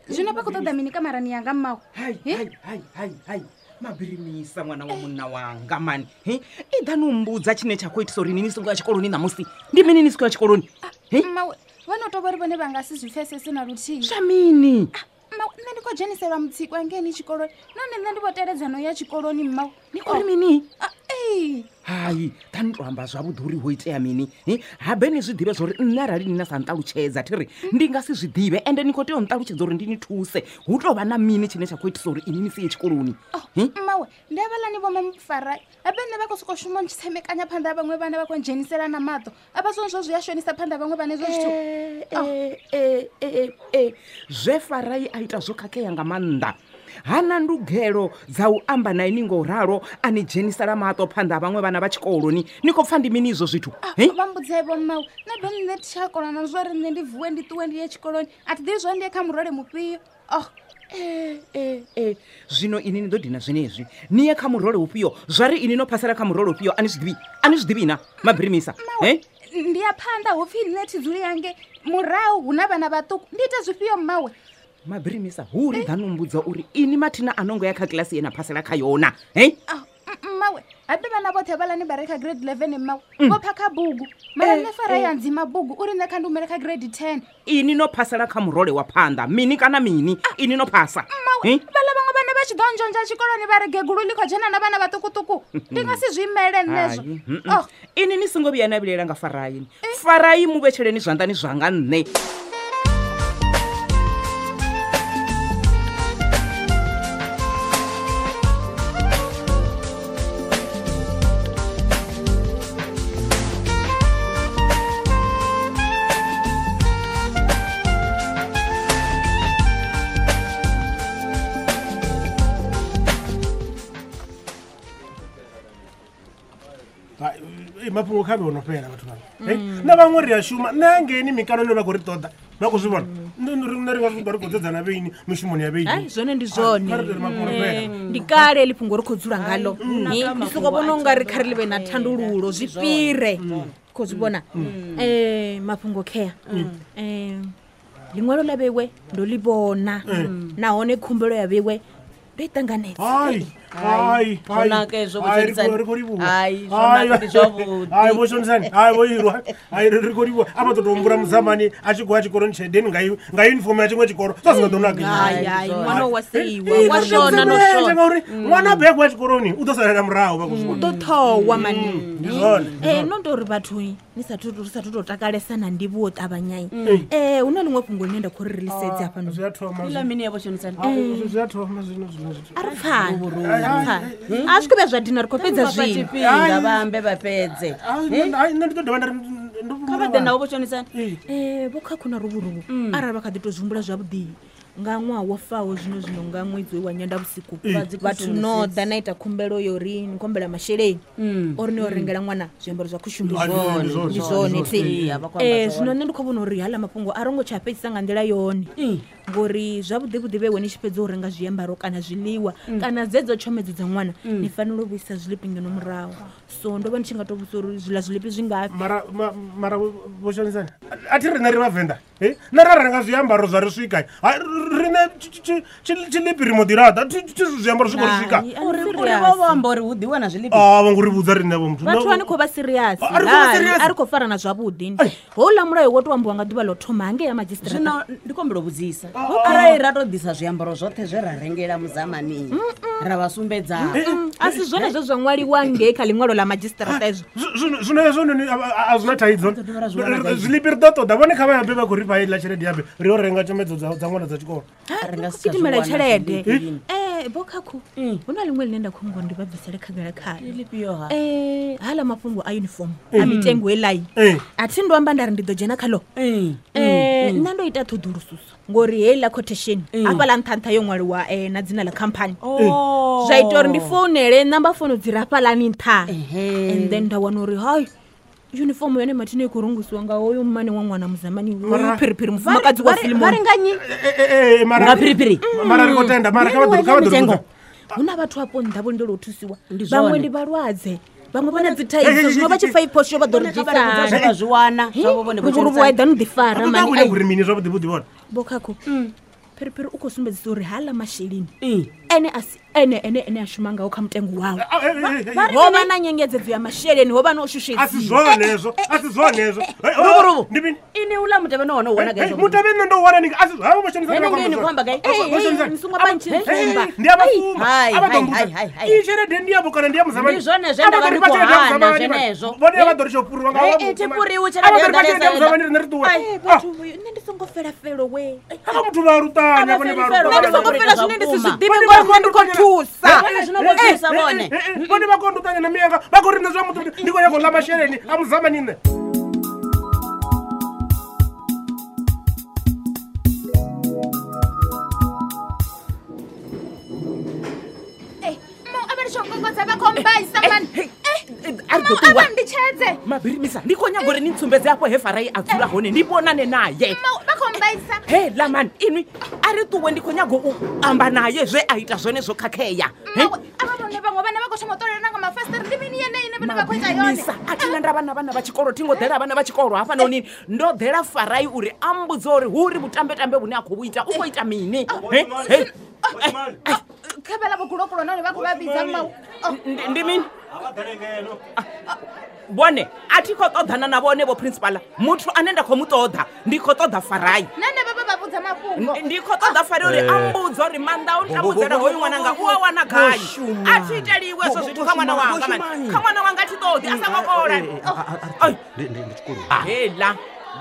Zwino vha khou ṱoḓa mini kamarani yanga mmawe? Hai, hai, hai, hai, hai. Mabirimisa ṅwana wa munna wanga mani. I ḓa no mbudza tshine tsha khou itisa uri ni songo ya tshikoloni ṋamusi. Ndi mini ni songo ya tshikoloni? Mmawe, vho no tou vha uri vhone vha nga si zwi pfesese na luthihi. Zwa mini? Mmawe, nṋe ndi khou dzheniselwa mutsiko hangeini tshikoloni. Nahone nṋe ndi vho teledza no ya tshikoloni mmawe. Ni khou ri mini? Ee. Hai, ḓa ni to amba zwavhuḓi uri ho itea mini. Habe ni zwi ḓivhe zwa uri nṋe arali ni na sa nṱalutshedza thi ri ndi nga si zwi ḓivhe, ende ni khou tea u nṱalutshedza uri ndi ni thuse. Hu tou vha na mini tshine tsha khou itisa uri ini ni si ye tshikoloni? Mmawe, ndi havhaḽani vho Mamufara. Habe nṋe vha khou sokou shuma ntshi tsemekanya phanḓa ha vhaṅwe vhana, vha khou ndzhenisela na maṱo. Avha zwone zwo zwi a shonisa phanḓa ha vhaṅwe vhana hezwo zwithu. Zwe Farai a ita zwo khakhea nga maanḓa. Hana ndugelo dza u amba na ini ngo ralo, a ni dzhenisela maṱo phanḓa ha vhaṅwe vhana vha tshikoloni. Ni khou pfa ndi mini izwo zwithu? Vha mbudze vho mmawe, nṋe be nṋe thi tsha kona na zwa uri nṋe ndi vuwe ndi ṱuwe ndi ye tshikoloni. A thi ḓivhi zwa ndi ye kha murole mufhio. Zwino ini ni ḓo dina zwenezwi. Ni ye kha murole ufhio? Zwa ri ini no phasela kha murole ufhio? A ni zwi ḓivhi? A ni zwi ḓivhi na Mabirimisa? Ndi ya phanḓa hu pfi nṋe thi dzuli yange murahu hu na vhana vhaṱuku. Ndi ite zwifhio mmawe? Mabirimisa, hu ri ḓa no mbudza uri ini mathina a nongo ya kha kilasi ye na phasela kha yona. Mmawe, habe vhana vhoṱhe vhalani vha re kha grade 11 mmawe. Vho phakha bugu. Mara nṋe Farai ya ndzima bugu uri nṋe kha ndi humele kha grade 10. Ini no phasela kha murole wa phanḓa, mini kana mini? Ini no phasa. Mmawe, vhaḽa vhaṅwe vhana vha tshi ḓo nzhonzha tshikoloni vha ri gegulu ḽi khou dzhena na vhana vhaṱukuṱuku. Ndi nga si zwi imele nṋezwo. Ini ni songo vhuya na vhilaela nga Farai. Farai mu vhetsheleni zwanḓani zwanga nṋe. Mafhungo kha vhe ono fhela vhathu vhanga. Na vhaṅwe ri a shuma, nṋe hangeini mikalo ine vha khou ri ṱoḓa vha khou zwi vhona. Nṋe ri nga ri khou dzedzana vheini mishumoni ya vheini. Hai, zwone ndi zwone. Ndi kale heḽi fhungo ri khou dzula ngalo. Ndi soko vhona unga ri kha ri ḽi vhe na thandululo zwi fhire. Khou zwi vhona. Mafhungo khea. Ḽiṅwalo ḽa vheiwe ndo ḽi vhona. Nahone khumbelo ya vheiwe ndo i ṱanganedza. Hai, hai, Zwo naka hezwo, Vho Shonisani. Ri khou livhuwa. Hai, zwo naka, ndi zwavhuḓi. Hai, Vho Shonisani. Hai, vho irwa. Hai, ri khou livhuwa. A vha ḓo tou humbula Muzamani a tshi khou ya tshikoloni tsheledeni nga uniform ya tshiṅwe tshikolo. Zwa si nga ḓo naka. Hai, hai, ṅwana wa seiwa, wa shona no shona. Ngauri ṅwana a begwa tshikoloni u ḓo salela murahu vha khou zwi U vhona. ḓo ṱhowa mani. Ndi zwone. No tou ri vhathu ni sathu ri sathu tou takalesa na ndivhuwo ṱavhanyai. Hu na ḽiṅwe fhungo ḽine nda khou ri ri ḽi sedze hafha noni. Zwi a thoma. Ḽa mini ya Vho Shonisani? Zwi a thoma zwino zwino zwithu. A ri pfani. A zwi khou vhuya zwa dina, ri khou fhedza Vha fha zwino. tshifhinga vha ambe vha fhedze. Nṋe ndi ḓo dovha nda ri Kha vha ḓe navho Vho Shonisani. Vho Khakhu na Ruvhuruvhu arali vha kha ḓi tou zwi humbula zwavhuḓi nga ṅwaha wo faho zwino zwino nga ṅwedzi wa Nyendavhusiku vhathu no ḓa na ita khumbelo yo ri ni khombela masheleni ori ni yo rengela ṅwana zwiambaro zwa khushumbu. Ndi zwone thi. Zwino nṋe ndi khou vhona uri haḽa mafhungo a rongo tsha fhedzisa nga nḓila yone. Ngori zwavhuḓi vhuḓi vheiwe ni tshi fhedza u renga zwiambaro kana zwiḽiwa kana dzedzo tshomedzo dza ṅwana ni fanela u vhuisa zwiḽipi ngeno murahu. So ndo vha ndi tshi nga to vhudzisa uri zwiḽa zwiḽipi zwi ngafhi. Mara Vho Shonisani, a thi riṋe ri Vhavenḓa. Nṋe ra renga zwiambaro zwa ri swika riṋe tshilipi ri mo ḓi laṱa zwiambaro zwi khou ri swika. Uri vho vho amba uri hu ḓiwa na zwilipi. A vho ngo ri vhudza riṋe vho muthu. Vhathu a ni khou vha serious. A ri khou farana zwavhuḓi. Houḽa mulayo wo to ambiwa nga ḓuvha ḽo thoma hangei ya madzhisiṱiraṱa. Zwino ndi khou humbela u vhudzisa arali ra to ḓisa zwiambaro zwoṱhe zwe ra rengela muzamani ra vha sumbedza. A si zwone zwe zwa ṅwaliwa ngei kha ḽiṅwalo ḽa madzhisiṱiraṱa ezwo. Zwino hezwo a zwi na thaidzo. Zwilipi ri ḓo ṱoḓa vhone kha vha yabe vha khou ri fha heiḽa tshelede yabe ri yo renga tshomedzo dza ṅwana dza tshikolo. Gidimela tshelede. Vho Khakhu hu na ḽiṅwe ḽine nda khou humbula ndi vha bvisele khagala khaḽo. Haḽa mafhungo a uniform a mitengo heiḽai a thi ndo amba nda ri ndi ḓo dzhena khaḽo. Nṋe ndo ita ṱhoḓulususo ngori heiḽa quotation hafhaḽa nṱha nṱha yo ṅwaliwa na dzina ḽa khamphani. Zwa ita uri ndi founele namba founu dzi re hafhaḽani nṱha and then nda wana uri hai uniform yone mathina i khou rungusiwa nga hoyo mmane wa ṅwana muzamani hoyu phiriphiri mufumakadzi wa Filimoni. Vha ri nga nnyi? Nga phiriphiri. Mara ri khou tenda mara kha vha ḓo ri vhudza. Hu na vhathu hafho nnḓa vho lindela u thusiwa. Vhaṅwe ndi vhalwadze, vhaṅwe vha na dzi thaidzo zwino vha tshi pfa i phosho vha ḓo ri dzhisa. Vha zwi wana zwavho vhone vho Vhuvhuru vhu eḓani u ḓifara mani. Vha khou mini zwavhuḓi vhuḓi vhone. Vho Khakhu phiriphiri u khou sumbedzisa uri haḽa masheleni ene a si ene ene ene a shuma ngao kha mutengo wawe. Ho vha na nyengedzedzo ya masheleni, ho vha na u shushedzwa. A si zwone hezwo, a si zwone hezwo. Ndi mini? Ini uḽa mutevhe no wana u wana gai? Mutevhe nṋe ndo wana ni a si havho vho shandisa nga ni khou amba gai? Ni songo vha ntshi tsumba. Ndi a vha fumba. A vha ḓo mbudza. Iyi tshelede ndi yavho kana ndi ya muzamani? Ndi zwone zwe nda vha ndi khou hana zwenezwo. Vhone vha ḓo ri tsho fhuriwa nga havho. Thi fhuriwi tshelede yo ḓalesa. Muzamani riṋe ri ṱuwe. Vhathu nṋe ndi songo fela felo we. Havha muthu vha luṱanya vhone vha luṱanya. Nṋe ndi songo fela zwine ndi si zwi ḓivhe ngori nṋe ndi khou thusa. Vhone vha khou nduṱanya na miyanga vha khou ri nṋe zwa muthu ndi khou nyaga u ḽa masheleni a muzamani nṋe. Mabirimisa ndi khou nyaga uri ni ntsumbedze afho he Farai a dzula hone ndi vhonane naye. He ḽa mani inwi a ri ṱuwe ndi khou nyaga u amba naye zwe a ita zwone zwo khakhea. A thina ndavha na vhana vha tshikolo thi ngo ḓela vhana vha tshikolo hafhanoni ndo ḓela Farai uri a mbudze uri hu ri vhutambetambe vhune a khou vhu ita u khou ita mini. Ndi mini? Vhone a thi khou ṱoḓana na vhone vho principala. Muthu ane nda khou mu ṱoḓa ndi khou ṱoḓa Farai. Ndi khou ṱoḓa Farai uri a mbudze uri maanḓa o ntambudzela hoyu ṅwananga u a wana gai. A thi iteliwe hezwo zwithu kha ṅwana wanga mani. Kha ṅwana wanga thi ṱoḓi a songo kola. Heiḽa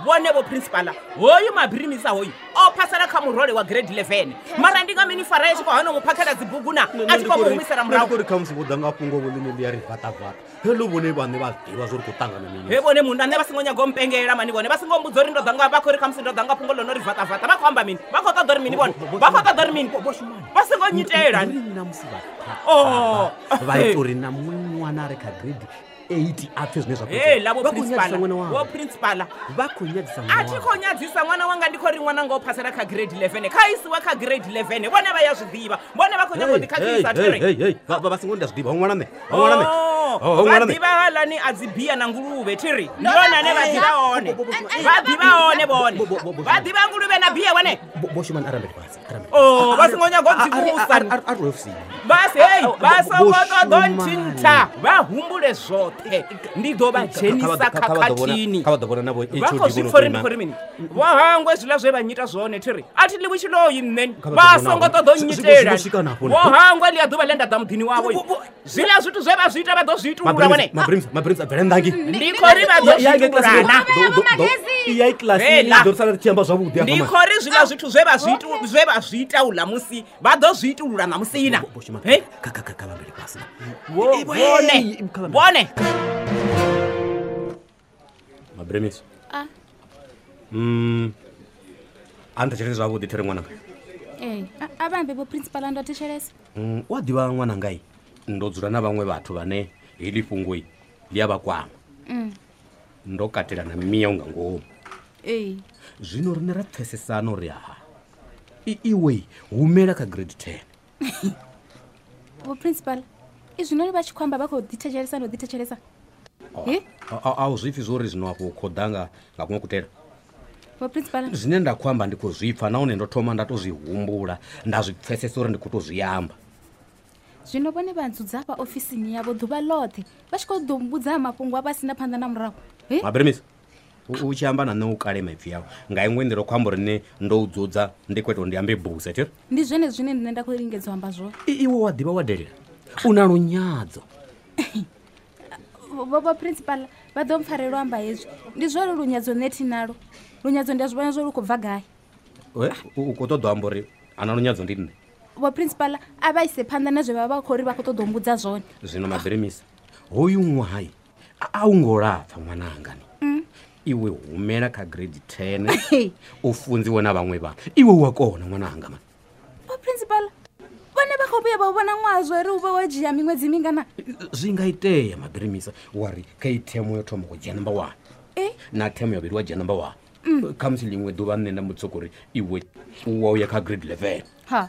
vhone vho principala hoyu mabirimisa hoyu o phasela kha murole wa grade 11. Mara ndi nga mini Farai tshi khou hana mu phakhela dzibugu na a tshi khou mu humisela murahu. Ndi khou ri khamusi vho ḓa nga fhungo vho ḽine ḽi ya ri vatavata. Heḽo vhone vhaṋe vha ḓivha zwo ri khou ṱangana mini. He vhone munna nṋe vha songo nyaga u mpengela mani vhone vha songo mbudza uri ndo ḓa nga vha khou ri khamusi ndo ḓa nga fhungo ḽo no ri vatavata. Vha khou amba mini? Vha khou ṱoḓa uri mini vhone? Vha khou ṱoḓa uri mini? Vha songo nyitela. Vha ita uri na muṅwe ṅwana a re kha grade 8 a pfe zwine zwa khou itea. Vho principala vha khou nyadzisa ṅwana. A thi khou nyadzisa ṅwana wanga ndi khou ri ṅwana nga o phasela kha grade 11. Kha isiwe kha grade 11 vhone vha ya zwi ḓivha. Vhone vha khou nyaga u ḓikhakhisa thi ri. Vha songo nda zwi ḓivha ṅwana nṋe. Ṅwana nṋe. Vha ḓivha haaḽani a dzi bia na nguluvhe thi ri. Ndi vhone ane vha ḓivha hone. Vha ḓivha hone vhone. Vha ḓivha nguluvhe na bia vhone. Vho Shumani arambele fhasi. Oh, vha songo nyaga u dzivhusa. Vha songo ṱoḓa nthintha. Vha humbule zwoṱhe. Ndi ḓo vha dzhenisa khakhathini. Kha vha ḓo vhona na vho Vha khou zwi pfa uri ndi khou ri mini. Vho hangwe zwiḽa zwe vha nnyita zwone thi ri. A thi ḽiwi tshiloyi nṋe. Vha songo ṱoḓa u nnyitela. Vho hangwe ḽia ḓuvha ḽe nda ḓa muḓini wavho. Zwiḽa zwithu zwe vha zwi ita vha ḓo zwi itulula vhone. Mabirimisa bvela nnḓa ngei. Ndi khou ri vha ḓo zwi itulula. Iya kilasini ḓo sala ri tshi amba zwavhuḓi Ndi khou ri zwiḽa zwithu zwe vha zwi itu zwe vha zwi ita uḽa musi vha ḓo zwi itulula ṋamusi na. Kha kha vha mbele fhasi. Vhone vhone. Mabirimisa. A nthetshelese zwavhuḓi thiri ṅwananga. A vha ambe vho principal ndo thetshelesa. U a ḓivha ṅwanangai ndo dzula na vhaṅwe vhathu vhane heḽi fhungo ḽi a vha kwama. Ndo katela na miya nga ngomu. Zwino riṋe ra pfesesana uri ha iwe humela kha grade 10. Vho principal izwi noni vha tshi khou amba vha khou ḓithetshelesa no ḓithetshelesa. A u zwipfi zwo ri zwino afho khou ḓa nga kuṅwe kutela. Vho principal Zwine nda khou amba ndi khou zwi pfa nahone ndo thoma nda tou zwi humbula nda zwi pfesesa uri ndi khou tou zwi amba. Zwino vhone vha ndzudza hafha ofisini yavho ḓuvha ḽoṱhe vha tshi khou ḓo mbudza mafhungo a vha sina phanḓa na murahu. He? Mabirimisa u tshi amba na nṋe u kale maipfi awo nga iṅwe nḓila u khou amba uri nṋe ndo u dzudza ndi khou ita uri ndi ambe buse thiri. Ndi zwone zwine nṋe nda khou lingedza u amba zwone. Iwe wa ḓivha wa delela u na lunyadzo. Vho vho principal vha ḓo mpfarela u amba hezwi. Ndi zwone lunyadzo nṋe thi nalo. Lunyadzo ndi a zwi vhona zwo lu khou bva gai. We, u khou ṱoḓa u amba uri ana lunyadzo ndi nṋe. Vho principal a vha ise phanḓa na zwe vha vha khou ri vha khou ṱoḓa u mbudza zwone. Zwino Mabirimisa hoyu ṅwahai a u ngo lapfa ṅwananga ni. Iwe humela kha grade 10 u funziwe na vhaṅwe vhana. Iwe u a kona ṅwananga man. Vho principal vhone vha khou vhuya vha u vhona ṅwaha zwo ri u vha wo dzhia miṅwedzi mingana. Zwi nga itea Mabirimisa wa ri kha iyi themo yo thoma u dzhia number 1 na themo ya vhuvhili wa dzhia number 1. Khamusi ḽiṅwe ḓuvha nṋe nda mbo uri iwe u wa uya kha grade 11. Ha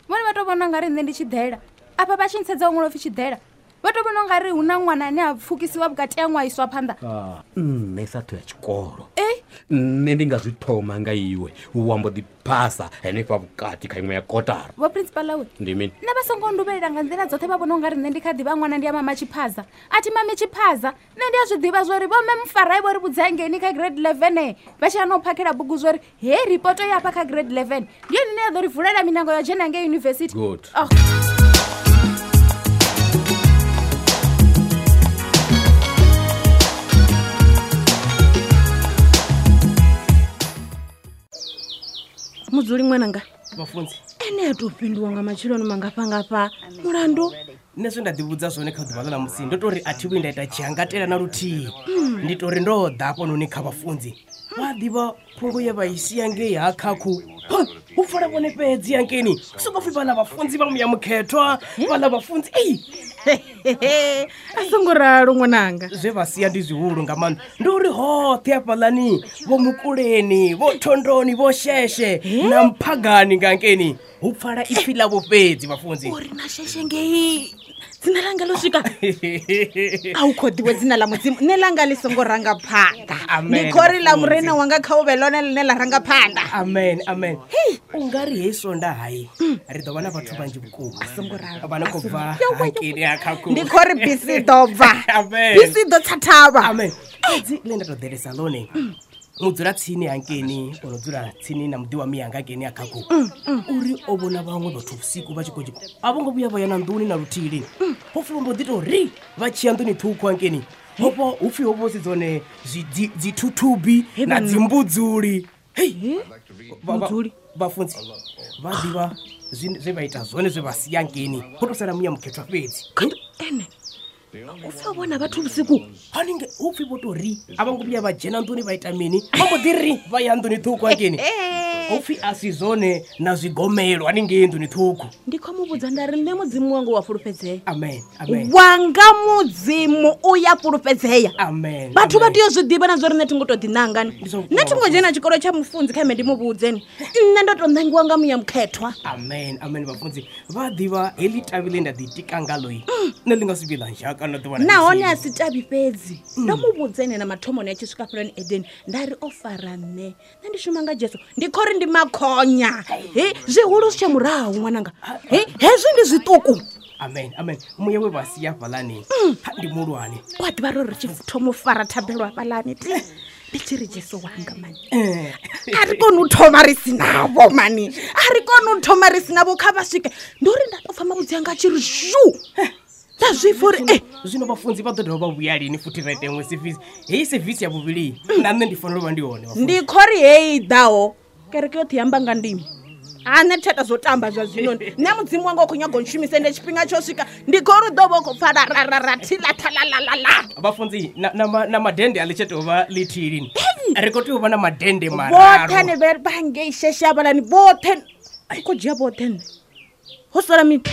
vhone vha tou vhona nga ri nṋe ndi tshiḓela afha vha tshi ntsedza u ṅwala upfi tshiḓela vha tou vhona nga ri hu na ṅwana ane a pfukisiwa vhukati ha ṅwaha iswa phanḓa. Nṋe sa ṱho ya tshikolo nṋe ndi nga zwi thoma nga iwe wa mbo ḓi phasa henefha vhukati kha iṅwe ya kotara. Vho principal we Ndi mini? nṋe vha songo nduvhelela nga nḓila dzoṱhe vha vhona u nga ri nṋe ndi kha ḓivha ṅwana ndi a mama tshiphaza. A thi mami tshiphaza nṋe ndi a zwi ḓivha zwori vho mme mufarai vho ri vhudza ngeni kha grade 11 vha tshi hana u phakhela bugu zwori he ripoto ya hafha kha grade 11 ndi yone ine ya ḓo ri vulela minango ya dzhena ngei yunivesithi. Good. Oh. Mudzuli ṅwananga Vhafunzi ene a tou fhinduwa nga matsheloni mangafhangafha mulandu. Nṋe zwe nda ḓivhudza zwone kha ḓuvha ḽa ṋamusi ndo tori a thi vhuyi nda ita tshiangatela na luthihi. Ndi tori ndo ḓa hafhanoni kha vhafunzi vha ḓivha phungo ye vha i sia ngei ha khakhu. Hu pfala vhone fhedzi hangeini soko pfhi vhaḽa vhafunzi vha muya mukhethwa vhaḽa vhafunzi ei. A songo ralo ṅwananga. Zwe vha sia ndi zwihulu nga maanḓa ndi uri hoṱhe hafhaḽani vho Mukuleni vho Thondoni vho Sheshe na Mphagani nga hangeini hu pfala ipfi ḽavho fhedzi vhafunzi. Uri na Sheshe ngei dzina langa ḽo swika a u khou ḓiwe dzina ḽa mudzimu nṋe langa ḽi songo ranga phanḓa. Ndi khori ḽa murena wanga kha u vhe ḽone ḽine ḽa ranga phanḓa. Amen amen. U nga ri hei sonda hai ri ḓo vha na vhathu vhanzhi vhukuma vha no khou bva hangeini ha khakhu. Ndi khori bisi ḓo bva. Bisi ḓo tsa thavha. Amen. Fhedzi nṋe nda tou ḓelesa ḽone mudzula tsini hangeini o no dzula tsini na muḓi wa miyanga hangeini ha khakhu uri o vhona vhaṅwe vhathu vhusiku vha tshi khou a vho ngo vhuya vha ya na nḓuni na luthihi lini. Ho pfhi vho mbo ḓi tou ri vha tshi ya nḓuni ṱhukhu hangeini hofho hu pfhi ho vho si dzone dzithuthubi na dzimbudzuli. Hei vhafunzi vha ḓivha zwe vha ita zwone zwe vha sia hangeini ho tou sala muya mukhethwa fhedzi. Ene u pfhi o vhona vhathu vhusiku haningei hu pfhi vho tou ri a vho ngo vhuya vha dzhena nḓuni vha ita mini vha mbo ḓi ri vha ya nḓuni ṱhukhu hangeini hu pfhi a si zwone na zwigomelo haningei nḓuni ṱhukhu. Ndi khou mu vhudza nda ri nṋe mudzimu wanga wa fulufhedzea. Amen amen. Wanga mudzimu u ya fulufhedzea. Amen. Vhathu vha tea u zwi ḓivha na zwa uri nṋe thi ngo tou ḓinanga ni. Nṋe thi ngo dzhena tshikolo tsha mufunzi kha mme ndi mu vhudze ni. Nṋe ndo tou ṋangiwa nga muya mukhethwa. Amen amen vhafunzi vha ḓivha heḽi tavhi ḽe nda ḓitika ngaḽo nṋe ḽi nga si vhuye ḽa nzhaka na ḓuvha na Nahone ḽithihi. a si tavhi fhedzi. Ndo mu vhudza ene na mathomoni a tshi swika fheloni Edeni nda ri o fara nṋe. Nṋe ndi shuma nga Jesu ndi khori ndi makhonya. He zwihulu zwi tshe murahu ṅwananga. He hezwi ndi zwiṱuku. Amen amen. Muya we vha sia hafhaḽani ndi muhulwane. Wa ḓivha ro ri tshi thoma u fara thabelo hafhaḽani ti ndi tshi ri Jesu wanga mani. A ri koni u thoma ri si navho mani. A ri koni u thoma ri si navho kha vha swike. Ndi uri nda tou pfa mavhudzi anga a tshi ri zhu. Nda zwi pfa uri Zwino vhafunzi vha ḓo dovha vha vhuya lini futhi ra ita iṅwe sevisi. Heyi sevisi ya vhuvhili na nṋe ndi fanela u vha ndi hone. Ndi khori heyi ḓaho kereke yoṱhe yamba nga ndimi. A nṋe thi tsha ita zwo tamba zwa zwino. Nṋe mudzimu wanga u khou nyaga u ntshumisa ende tshifhinga tsho swika ndi khou ri ḓo vha u khou pfa ra ra ra ra thi ḽa tha ḽa ḽa ḽa ḽa. Vhafunzi na madende a ḽi tsha tou vha ḽithihi lini. Ri khou tea u vha na madende Vhoṱhe mararu. ane vha ngei sheshe hafhaḽani vhoṱhe ndi khou dzhia vhoṱhe nṋe. Ho sala mini?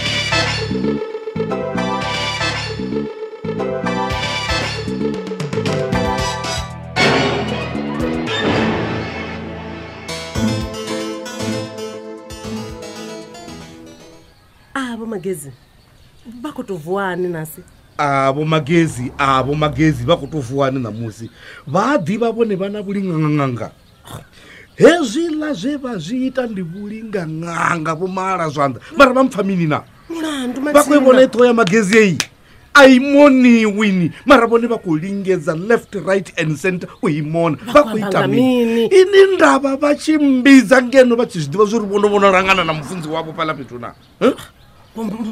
Vho Magezi vha khou tou vuwani nasi? Vho Magezi, vho Magezi vha khou tou vuwani ṋamusi. Vha a ḓivha vhone vha na vhulingannganga. Hezwiḽa zwe vha zwi ita ndi vhulinga ṅanga vho mala zwanḓa mara vha mpfa mini na mulandu vha khou i vhona i ṱhoho ya magezi eyi a i moniwini mara vhone vha khou lingedza left, right and center u i mona. Vha khou ita amba mini? Ini ndavha vha tshi mmbidza ngeno vha tshi zwi ḓivha zwo ri vhono vhono langana na mufunzi wavho fhaḽa fhethu na. Huh?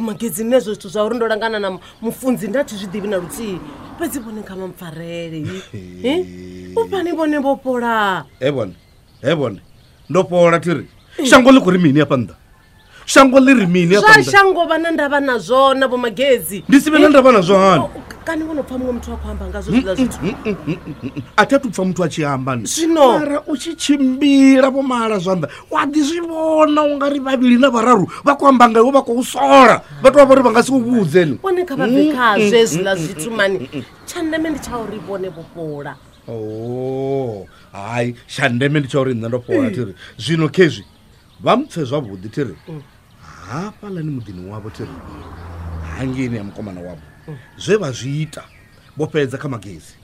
Magedzi nne zwo zwithu zwa uri ndo langana na mufunzi nda thi zwi ḓivhi na luthihi, fhedzi vhone kha vha mpfarele. U fhani vhone vho fhola. He vhone, he vhone ndo fhola thiri. Shango ḽi khou ri mini hafha nnḓa? Shango ḽi ri mini hafha Zwa nnḓa? shango vha na ndavha nazwo na vho magedzi. Ndi si vhe na ndavha nazwo hani? Kani vho no pfa muṅwe muthu a khou amba ngazwo zwiḽa zwithu? A thi a thu pfa muthu a tshi amba ni. Zwino mara u tshi tshimbila vho mala zwanḓa wa ḓi zwi vhona u nga ri vhavhili na vhararu vha khou amba nga iwe, vha khou sola, vha tou vha uri vha nga si u vhudze ni. Vhone kha vha bve khazwo hezwiḽa zwithu mani. Tsha ndeme ndi tsha uri vhone vho fhola. Oh, hai, tsha ndeme ndi tsha uri nṋe ndo fhola thiri. Zwino khezwi vha mpfe zwavhuḓi thiri. Hafhaḽani muḓini wavho thiri, hangeini ya mukomana wavho, zwe vha zwi ita vho fhedza kha magezi.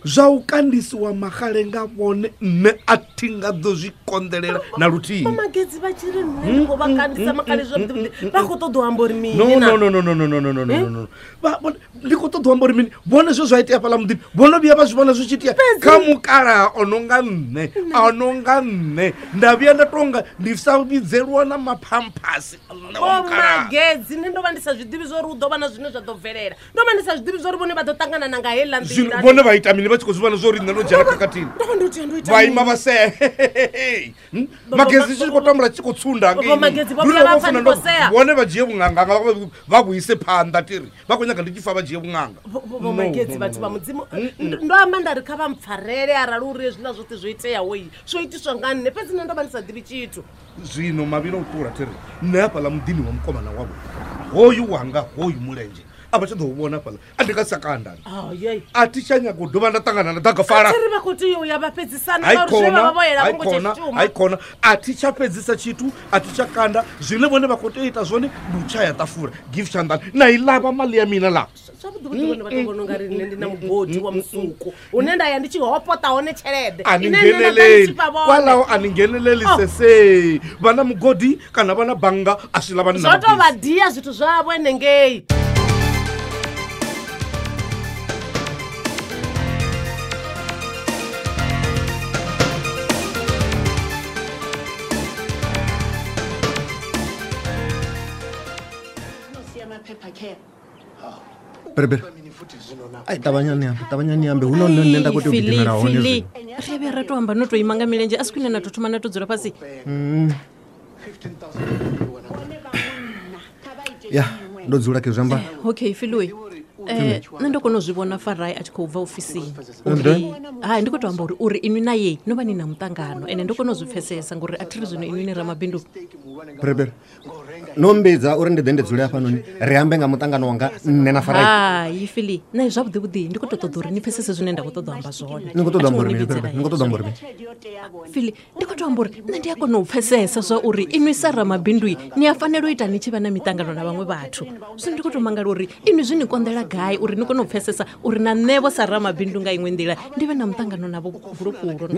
Zwa u kandisiwa maxale nga vhone nṋe a thi nga ḓo zwi konḓelela na luthihi. Vho magedzi vha tshi ri nṋe ndi khou vha kandisa maxale zwavhuḓi, vha khou ṱoḓa u amba uri mini No, na? no, no, no, no, no, no, no, no, no, no. Vha vhone ndi khou ṱoḓa u amba uri mini? Vhone zwe zwa itea fhaḽa muḓini vhono vhuya vha zwi vhona zwi tshi itea kha mukalaha o no nga nṋe, a no nga nṋe nda vhuya nda tonga ndi sa vhidzelwa na maphamphasi nṋe wa Vho mukalaha. magedzi nṋe ndo vha ndi sa zwi ḓivhi zwa uri hu ḓo vha na zwine zwa ḓo bvelela. Ndo vha ndi sa zwi ḓivhi zwa uri vhone vha ḓo ṱangana na nga heiḽa Zwino nḓila. vhone vha ita mini vha tshi khou zwi vhona zwa uri nṋe ndo dzhena khakhathini? Ndo vha ndo tea ndo ita Vha ima mini? vha sea. Magezi tshi khou tambula tshi khou tsunda Vho Magezi vho vhuya vha pfa ndi khou sea. Vhone vha dzhie vhunanga vha vhuise phanḓa tiri vha khou nyaga ndi tshi fa vha dzhie vhunanga. Vho Magezi vhathu vha mudzimu, ndo amba nda ri kha vha mpfarele arali uri hezwiḽa zwoṱhe zwo iteaho i zwo itiswa nga nṋe, fhedzi nṋe ndo vha ndi sa ḓivhi tshithu. Zwino mavhilo u ṱula thiri nṋe hafhaḽa muḓini wa mukomana wavho hoyu wanga hoyu mulenzhe a vha tsha ḓo u vhona fhaḽa a ndi nga sa kandani. Ayei. A thi tsha nyaga u dovha nda ṱangana na ḓagafala. A thi ri vha khou tea u ya vha fhedzisana Hai ngauri zwe vha vha vho khona, yela hai vho ngo tsha khona, shuma. hai khona. A thi tsha fhedzisa tshithu, a thi tsha kanda. Zwine vhone vha khou tea u ita zwone ndi u tshaya ṱafula, give tshanḓani. Na i ḽavha mali ya mina ḽa. Zwavhuḓi vhuḓi vhone vha tou vhona ungari nṋe ndi na mugodi wa musuku une nda ya ndi tshi hopota hone tshelede A ni ine nṋe nda ḓa ndi ngheneleli. tshi fha vhone. Kwalaho a ni ngheneleli Oh. sese. Vha na mugodi kana vha na bannga a si ḽa vha ni na Zwo tou vha mabisi. dia zwithu zwavho henengei. Berebere. Ai ṱavhanyani ambe, ṱavhanyani ambe hu no nṋe nṋe nda khou tea u gidimela hone Fili, zwino. ri vhuya ra to amba no to ima nga milenzhe a si khwine na to thoma na to dzula fhasi. Ya, ndo dzula ke zwi amba. Okay Filiwe, nṋe ndo kona u zwi vhona Farai a tshi khou bva ofisini. And Uri then? hai ndi khou to amba uri uri inwi na ye no vha ni na muṱangano ende ndo kona u zwi pfesesa ngori a thi ri zwino inwi ni ramabindu. Berebere. No mmbidza uri ndi ḓe ndi dzule hafhanoni ri ambe nga muṱangano wanga nṋe na Farai. Hai Fili, nṋe zwavhuḓi vhuḓi ndi khou to ṱoḓa uri ni pfesese zwine nda khou ṱoḓa u amba zwone. Ni khou ṱoḓa A thi amba ngo uri ni mini, vhidzela Berebere? Ni khou ṱoḓa amba uri mini? Fili, ndi khou to amba uri nṋe ndi a kona u pfesesa zwa uri inwi sa ramabindu ni a fanela u ita ni tshi vha na miṱangano na vhaṅwe vhathu. Zwino ndi khou to mangala uri inwi zwi ni konḓela gai uri ni kone u pfesesa uri na nṋe vho sa ramabindu nga iṅwe nḓila ndi vhe na muṱangano na vho gulukulu.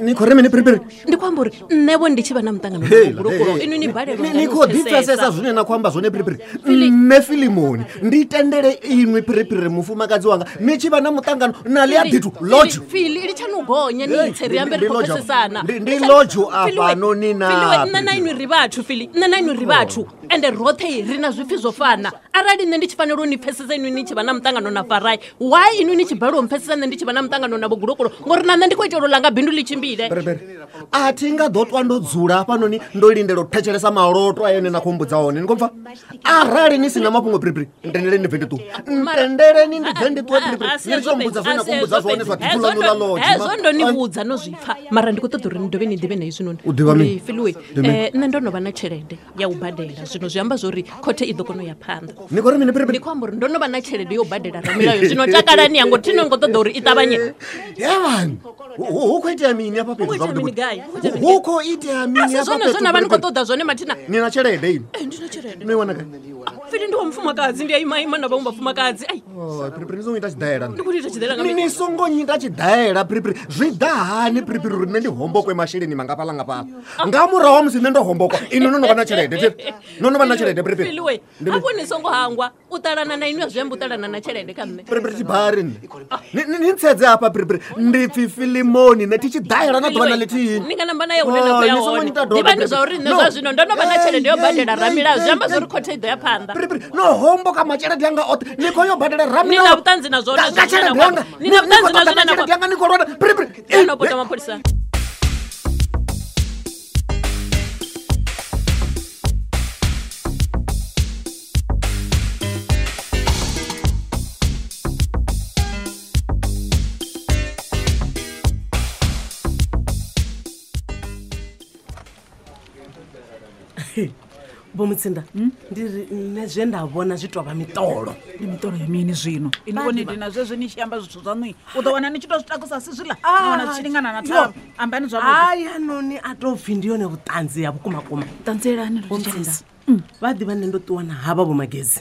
Ni khou ri mini Berebere? Ndi khou amba uri nṋe vho ndi tshi vha na muṱangano na vho Heila, gulukulu hey, inwi ni balelwa Ni ngani khou u ḓi pfesesa pfesesa. zwine na khou amba zwone Berebere. Nṋe Filimoni ndi tendele inwi Berebere mufumakadzi wanga ni tshi vha na muṱangano na ḽi a ḓithu lodge. Fili litshani u gonya ni tse ri ambe ri Ndi khou lodge afha. pfesesana. Ndi lodge afhanoni na Filiwe, nṋe na inwi ri vhathu Fili, nṋe na inwi ri vhathu ende roṱhe ri na zwipfi zwo fana. Arali nṋe ndi tshi fanela u ni pfesesa inwi ni tshi vha na muṱangano na Farai, why inwi ni tshi balelwa u mpfesesa nṋe ndi tshi vha na muṱangano na vho gulukulu? Ngori na nṋe ndi khou itela u langa bindu ḽi tshimbile. Berebere. A thi nga ḓo ṱwa ndo dzula hafhanoni ndo lindela u thetshelesa maloto a ene na khou mbudza hone. Ni khou pfa? Arali ni si na mafhungo Berebere, ntendeleni ndi bve ndi ṱuwe. Ntendeleni ndi bve ndi ṱuwe Berebere. Ni ri tsho mbudza zwine na khou mbudza zwone zwa ḓipfi ḽaṋu ḽa lodge. Hezwo ndo ni vhudza no zwi pfa mara ndi khou ṱoḓa uri ni dovhe ni ḓivhe na hezwinoni. U ḓivha mini? Uri, Filiwe, Ndi mini? nṋe ndo no vha na tshelede ya u badela zwino zwi amba zwori khothe i ḓo kona u ya phanḓa. Ni khou ri mini Berebere? Ndi khou amba uri ndo no vha na tshelede yo badela ramilayo zwino takalani yango thi no ngo ṱoḓa uri i ṱavhanye. Yevhani, hu khou itea mini hafha fhethu Hu khou itea zwavhuḓi mini vhuḓi? gai? Hu khou itea mini Hu gai? khou itea mini A si hafha zwone fhethu zwe na vha ni khou Berebere? ṱoḓa zwone mathina. Ni na tshelede inwi? Ndi na tshelede. No i wana gai? Fili ndi wa mufumakadzi ndi a imaima na vhaṅwe vhafumakadzi. Ai. Piripiri ni songo ita tshidaela. Ndi khou ita tshidaela nga Ni mini? ni songo nyita tshidaela piripiri. Zwi ḓa hani piripiri uri nṋe ndi hombokwe masheleni mangafhaḽa ngafhaḽa. Nga murahu ha musi nṋe ndo hombokwa inwi no no vha na tshelede thi? No no vha na tshelede piripiri. Fili we, Ndi hafho ni songo hangwa u ṱalana na inwi a zwi amba u ṱalana na tshelede kha nṋe. Piripiri tshibari nṋe. Ni ntsedze hafha piripiri. Ndi pfi Filimoni nṋe thi tshi daela na ḓuvha na ḽithihi. Ni nga namba na ya hune na khou ya Ni songo hone. nyita dodo, Ḓivhani Piripiri. zwa uri nṋe No. zwa zwino ndo no vha na tshelede yo Hey, badela hey, ramilayo zwi hey, amba zwa uri hey. khothe i ḓo ya phanḓa. No homboka matshelede anga oṱhe ni khou yo badela Ni ramilayo. na vhuṱanzi na zwone Nga zwine na tshelede khou yanga. amba. Ni na Ni khou vhuṱanzi na ṱoḓa zwine na tshelede khou yanga ni khou lwana. Piripiri. amba. No pota mapholisani. Vho Mutsinda, ndi ri nṋe zwe nda vhona zwi tou vha miṱolo. Ndi miṱolo ya mini zwino? Ini vhone ndi na zwezwo ni tshi amba zwithu zwaṋu u ḓo wana ni tshi to zwi takusa si zwiḽa na wana zwi tshi lingana na thavha. Ambani zwavhuḓi. Haya noni a tou pfhi ndi yone vhuṱanzi ya vhukumakuma. Ṱanzielani Vho Mutsinda, vha ḓivha nṋe ndo ṱuwa na havha vho Magezi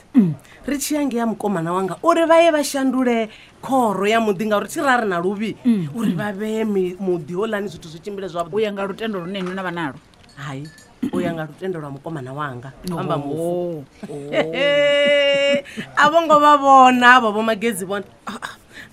ri tshi ya ngei ya mukomana wanga uri vha ye vha shandule khoro ya muḓi ngauri thi ra ri na luvhi uri vha vhee muḓi houḽani zwithu zwi tshimbile zwavhuḓi. U ya nga lutendo lune inwi na vha nalo. Hai, u ya nga lutendo lwa mukomana wanga amba mufu. A vho ngo vha vhona avho vho Magezi vhona.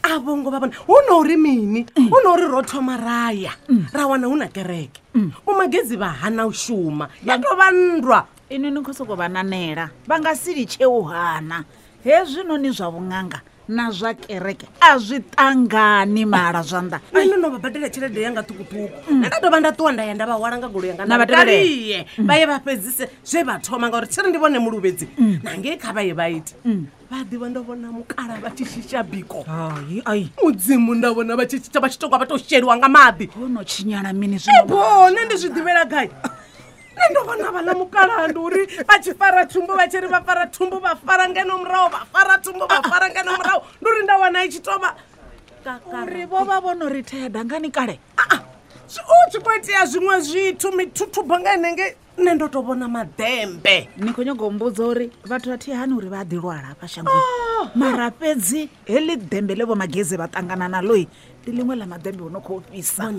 A vho ngo vha vhona. Hu no uri mini? Hu no uri ro thoma raya ra wana hu na kereke. Vho Magezi vha hana u shuma. Ya tou vha nndwa. Inwi ni khou sokou vha nanela vha nga si litshe u hana. Hezwinoni zwa vhuṅanga na zwa kereke a zwi ṱangani mala zwanḓa. Nṋe ndo no vha badela tshelede yanga ṱhukhuṱhukhu. Nṋe nda dovha nda ṱuwa nda ya nda vha hwala nga goloi yanga Na nda vha tevhelela. vha vha ye vha fhedzise zwe vha thoma ngauri thiri ndi vhone muluvhedzi na ngei kha vha ye vha ite. Vha ḓivha ndo vhona mukala vha tshi shisha biko. Ai. Mudzimu nda vhona vha tshi shisha vha tshi tonga vha tou sheliwa nga maḓi. Ho no tshinyala mini zwino? Bone ndi zwi ḓivhela gai? Nṋe ndo vhona vhaḽa mukalaha ndi uri vha tshi fara thumbu vha tshi ri vha fara thumbu vha fara ngeno murahu vha fara thumbu vha fara ngeno murahu ndi uri nda wana i tshi tou vha Uri vho vha vho no ri thea dangani kale. U tshi khou itea zwiṅwe zwithu mithuthubo nga henengei nṋe ndo tou vhona maḓembe. Ni khou nyaga u mbudza uri vhathu a thi hani uri vha a ḓi lwala hafha shangoni. Mara fhedzi heḽi ḓembe ḽe vho Magezi vha ṱangana naḽo ndi ḽiṅwe ḽa maḓembe o no khou fhisa.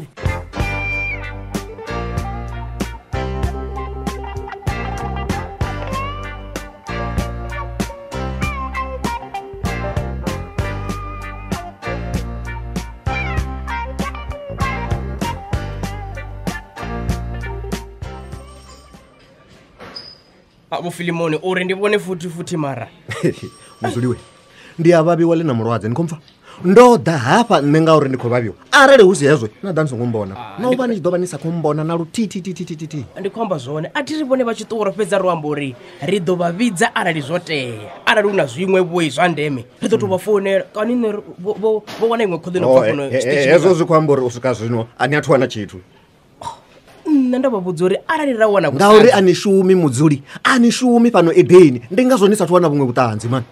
Vho Filimoni uri ndi vhone futhi futhi mara. Muzuliwe, ndi a vhavhiwa ḽi na mulwadze ni khou mpfa. Ndo ḓa hafha nṋe ngauri ndi khou vhavhiwa. Arali hu si hezwo na ḓa ni songo mbona. Na u vha ni tshi ḓo vha ni sa khou mbona na luthihi. Ndi khou amba zwone a thi ri vhone vha tshi ṱuwa ro fhedza ro amba uri ri ḓo vha vhidza arali zwo tea. Arali hu na zwiṅwe vhoi zwa ndeme ri ḓo tou vha founela kani nṋe vho wana iṅwe khoḓo ino bva fhano tshiṱitshini. Hezwo zwi khou amba uri u swika zwino a ni athu wana tshithu. Nṋe ndo vha vhudza uri arali ra wana Ngauri a ni shumi mudzuli, a ni shumi fhano Edeni. Ndi ngazwo ni sathu wana vhuṅwe vhuṱanzi mani.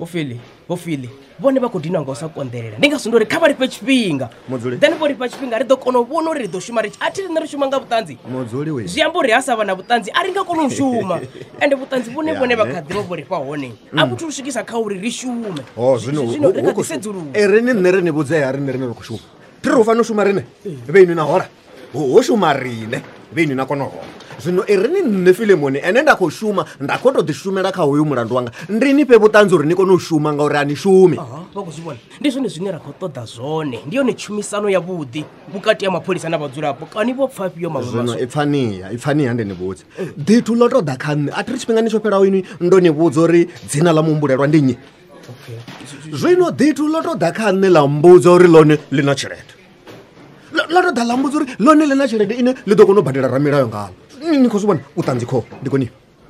Vho Fili, Vho Fili, vhone vha khou dinwa nga u sa konḓelela. Ndi ngazwo ndo ri kha vha lifhe tshifhinga. Mudzuli. Then vho lifha tshifhinga ri ḓo kona u vhona uri ri ḓo shuma ri tshi a thi riṋe ri shuma nga vhuṱanzi. Mudzuli we. Zwi amba uri ha sa vha na vhuṱanzi a ri nga koni u shuma. Ende vhuṱanzi vhune vhone vha kha ḓivha vho ri fha hone a vhu thu swikisa kha uri ri shume. Ho zwino Zwino ri hu kha khou ḓi sedzulusa. E ri ni nṋe ri ni vhudze ha riṋe riṋe ri khou shuma. Thi ri hu fanela u shuma riṋe vhe inwi na hola. Ho shuma riṋe vhe inwi na kona u hola. Zwino e ri ni nṋe Filimoni ene nda khou shuma nda khou tou ḓi shumela kha hoyu mulandu wanga. Ndi ni fhe vhuṱanzi uri ni kone u shuma ngauri a ni shumi. Vha khou zwi vhona. Ndi zwone zwine ra khou ṱoḓa zwone. Ndi yone tshumisano ya vhuḓi vhukati ha mapholisa na vhadzulapo. Kani vho pfa fhio maṅwe Zwino maswa? ipfaniya, ipfaniya ndi ni vhudze. Ḓithu ḽo tou ḓa kha nṋe. A thi ri tshifhingani tsho fhelaho inwi ndo ni vhudza uri dzina ḽa muhumbulelwa ndi nnyi. Zwino ḓithu ḽo tou ḓa kha nṋe ḽa mbudza uri ḽone ḽi na tshelede. Ḽo tou ḓa ḽa mbudza uri ḽone ḽi na tshelede ine ḽi ḓo kona u badela ramilayo ngalo. Ni khou zwi vhona vhuṱanzi kho ndi koni.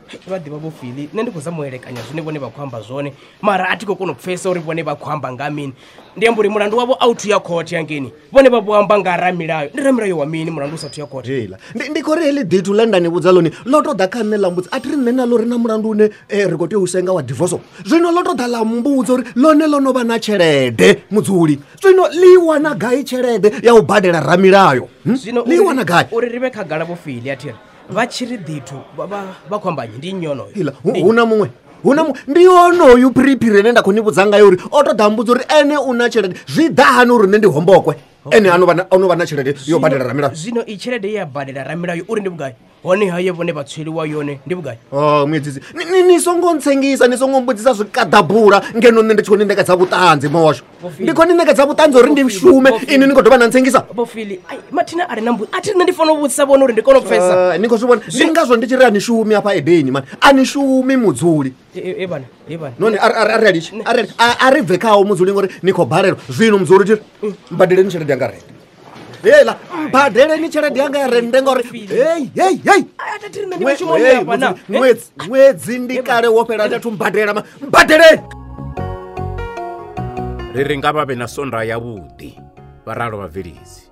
Vha ḓivha Vho Fili, nṋe ndi khou zama u elekanya zwine vhone vha khou amba zwone mara a thi khou kona u pfhesesa uri vhone vha khou amba nga mini. Ndi amba uri mulandu wavho a u thu ya khothe hangeini. Vhone vha vho amba nga ramilayo. Ndi ramilayo wa mini mulandu u sathu ya khothe? Heiḽa. Ndi khou ri heḽi ḓithu ḽe nda ni vhudza ḽone ḽo tou ḓa kha nṋe ḽa mbudza a thi ri nṋe naḽo ri na mulandu une ri khou tea u senga wa divorce. Zwino ḽo tou ḓa ḽa mbudza uri ḽone ḽo no vha na tshelede mudzuli. Zwino ḽi wana gai tshelede ya u badela ramilayo? Zwino Ḽi wana gai? Uri ri vhe khagala Vho Fili a thi ri vha tshi ri ḓithu vha khou amba nnyi? Ndi nnyi onoyo? Iḽa, hu na muṅwe. Hu na ndi onoyu phiriphiri ene nda khou ni vhudza ngayo uri o to ḓa mbudza uri ene u na tshelede. Zwi ḓa hani uri nṋe ndi hombokwe? Ene ano vha na tshelede yo badela ramilayo. Zwino i tshelede ye ya badela ramilayo uri ndi vhugai? Hone haye vhone vha tsweliwa yone ndi vhugai? Oh, muedzisi ni songo ntsengisa, ni songo mbudzisa zwikaḓabula ngeno nṋe ndi tshi khou ni ṋekedza vhuṱanzi mawashu. Ndi khou ni ṋekedza vhuṱanzi uri ndi shume, inwi ni khou dovha na ntsengisa. Vhofili, ai mathina a re na mbudzo a thi nṋe ndi fanela u vhudzisa vhone uri ndi kone u pfesa. Ni khou zwi vhona, ndi ngazwo ndi tshi ri a ni shumi afha Edeni mani, a ni shumi mudzuli. E bana, e bana. Noni a ri litshi, a ri bve khawo mudzuli ngori ni khou balelwa. Zwino mudzuli thi mbadeleni tshelede yanga rente. Hela, mbadeleni tshelede yanga ya rente ngori hey hey hey. Ṅwedzi ndi kale wo fhela ndathu mbadela ma mbadeleni. Ri ri nga vha vhe na sonda ya vhuḓi, vha ralo vhabveledzi.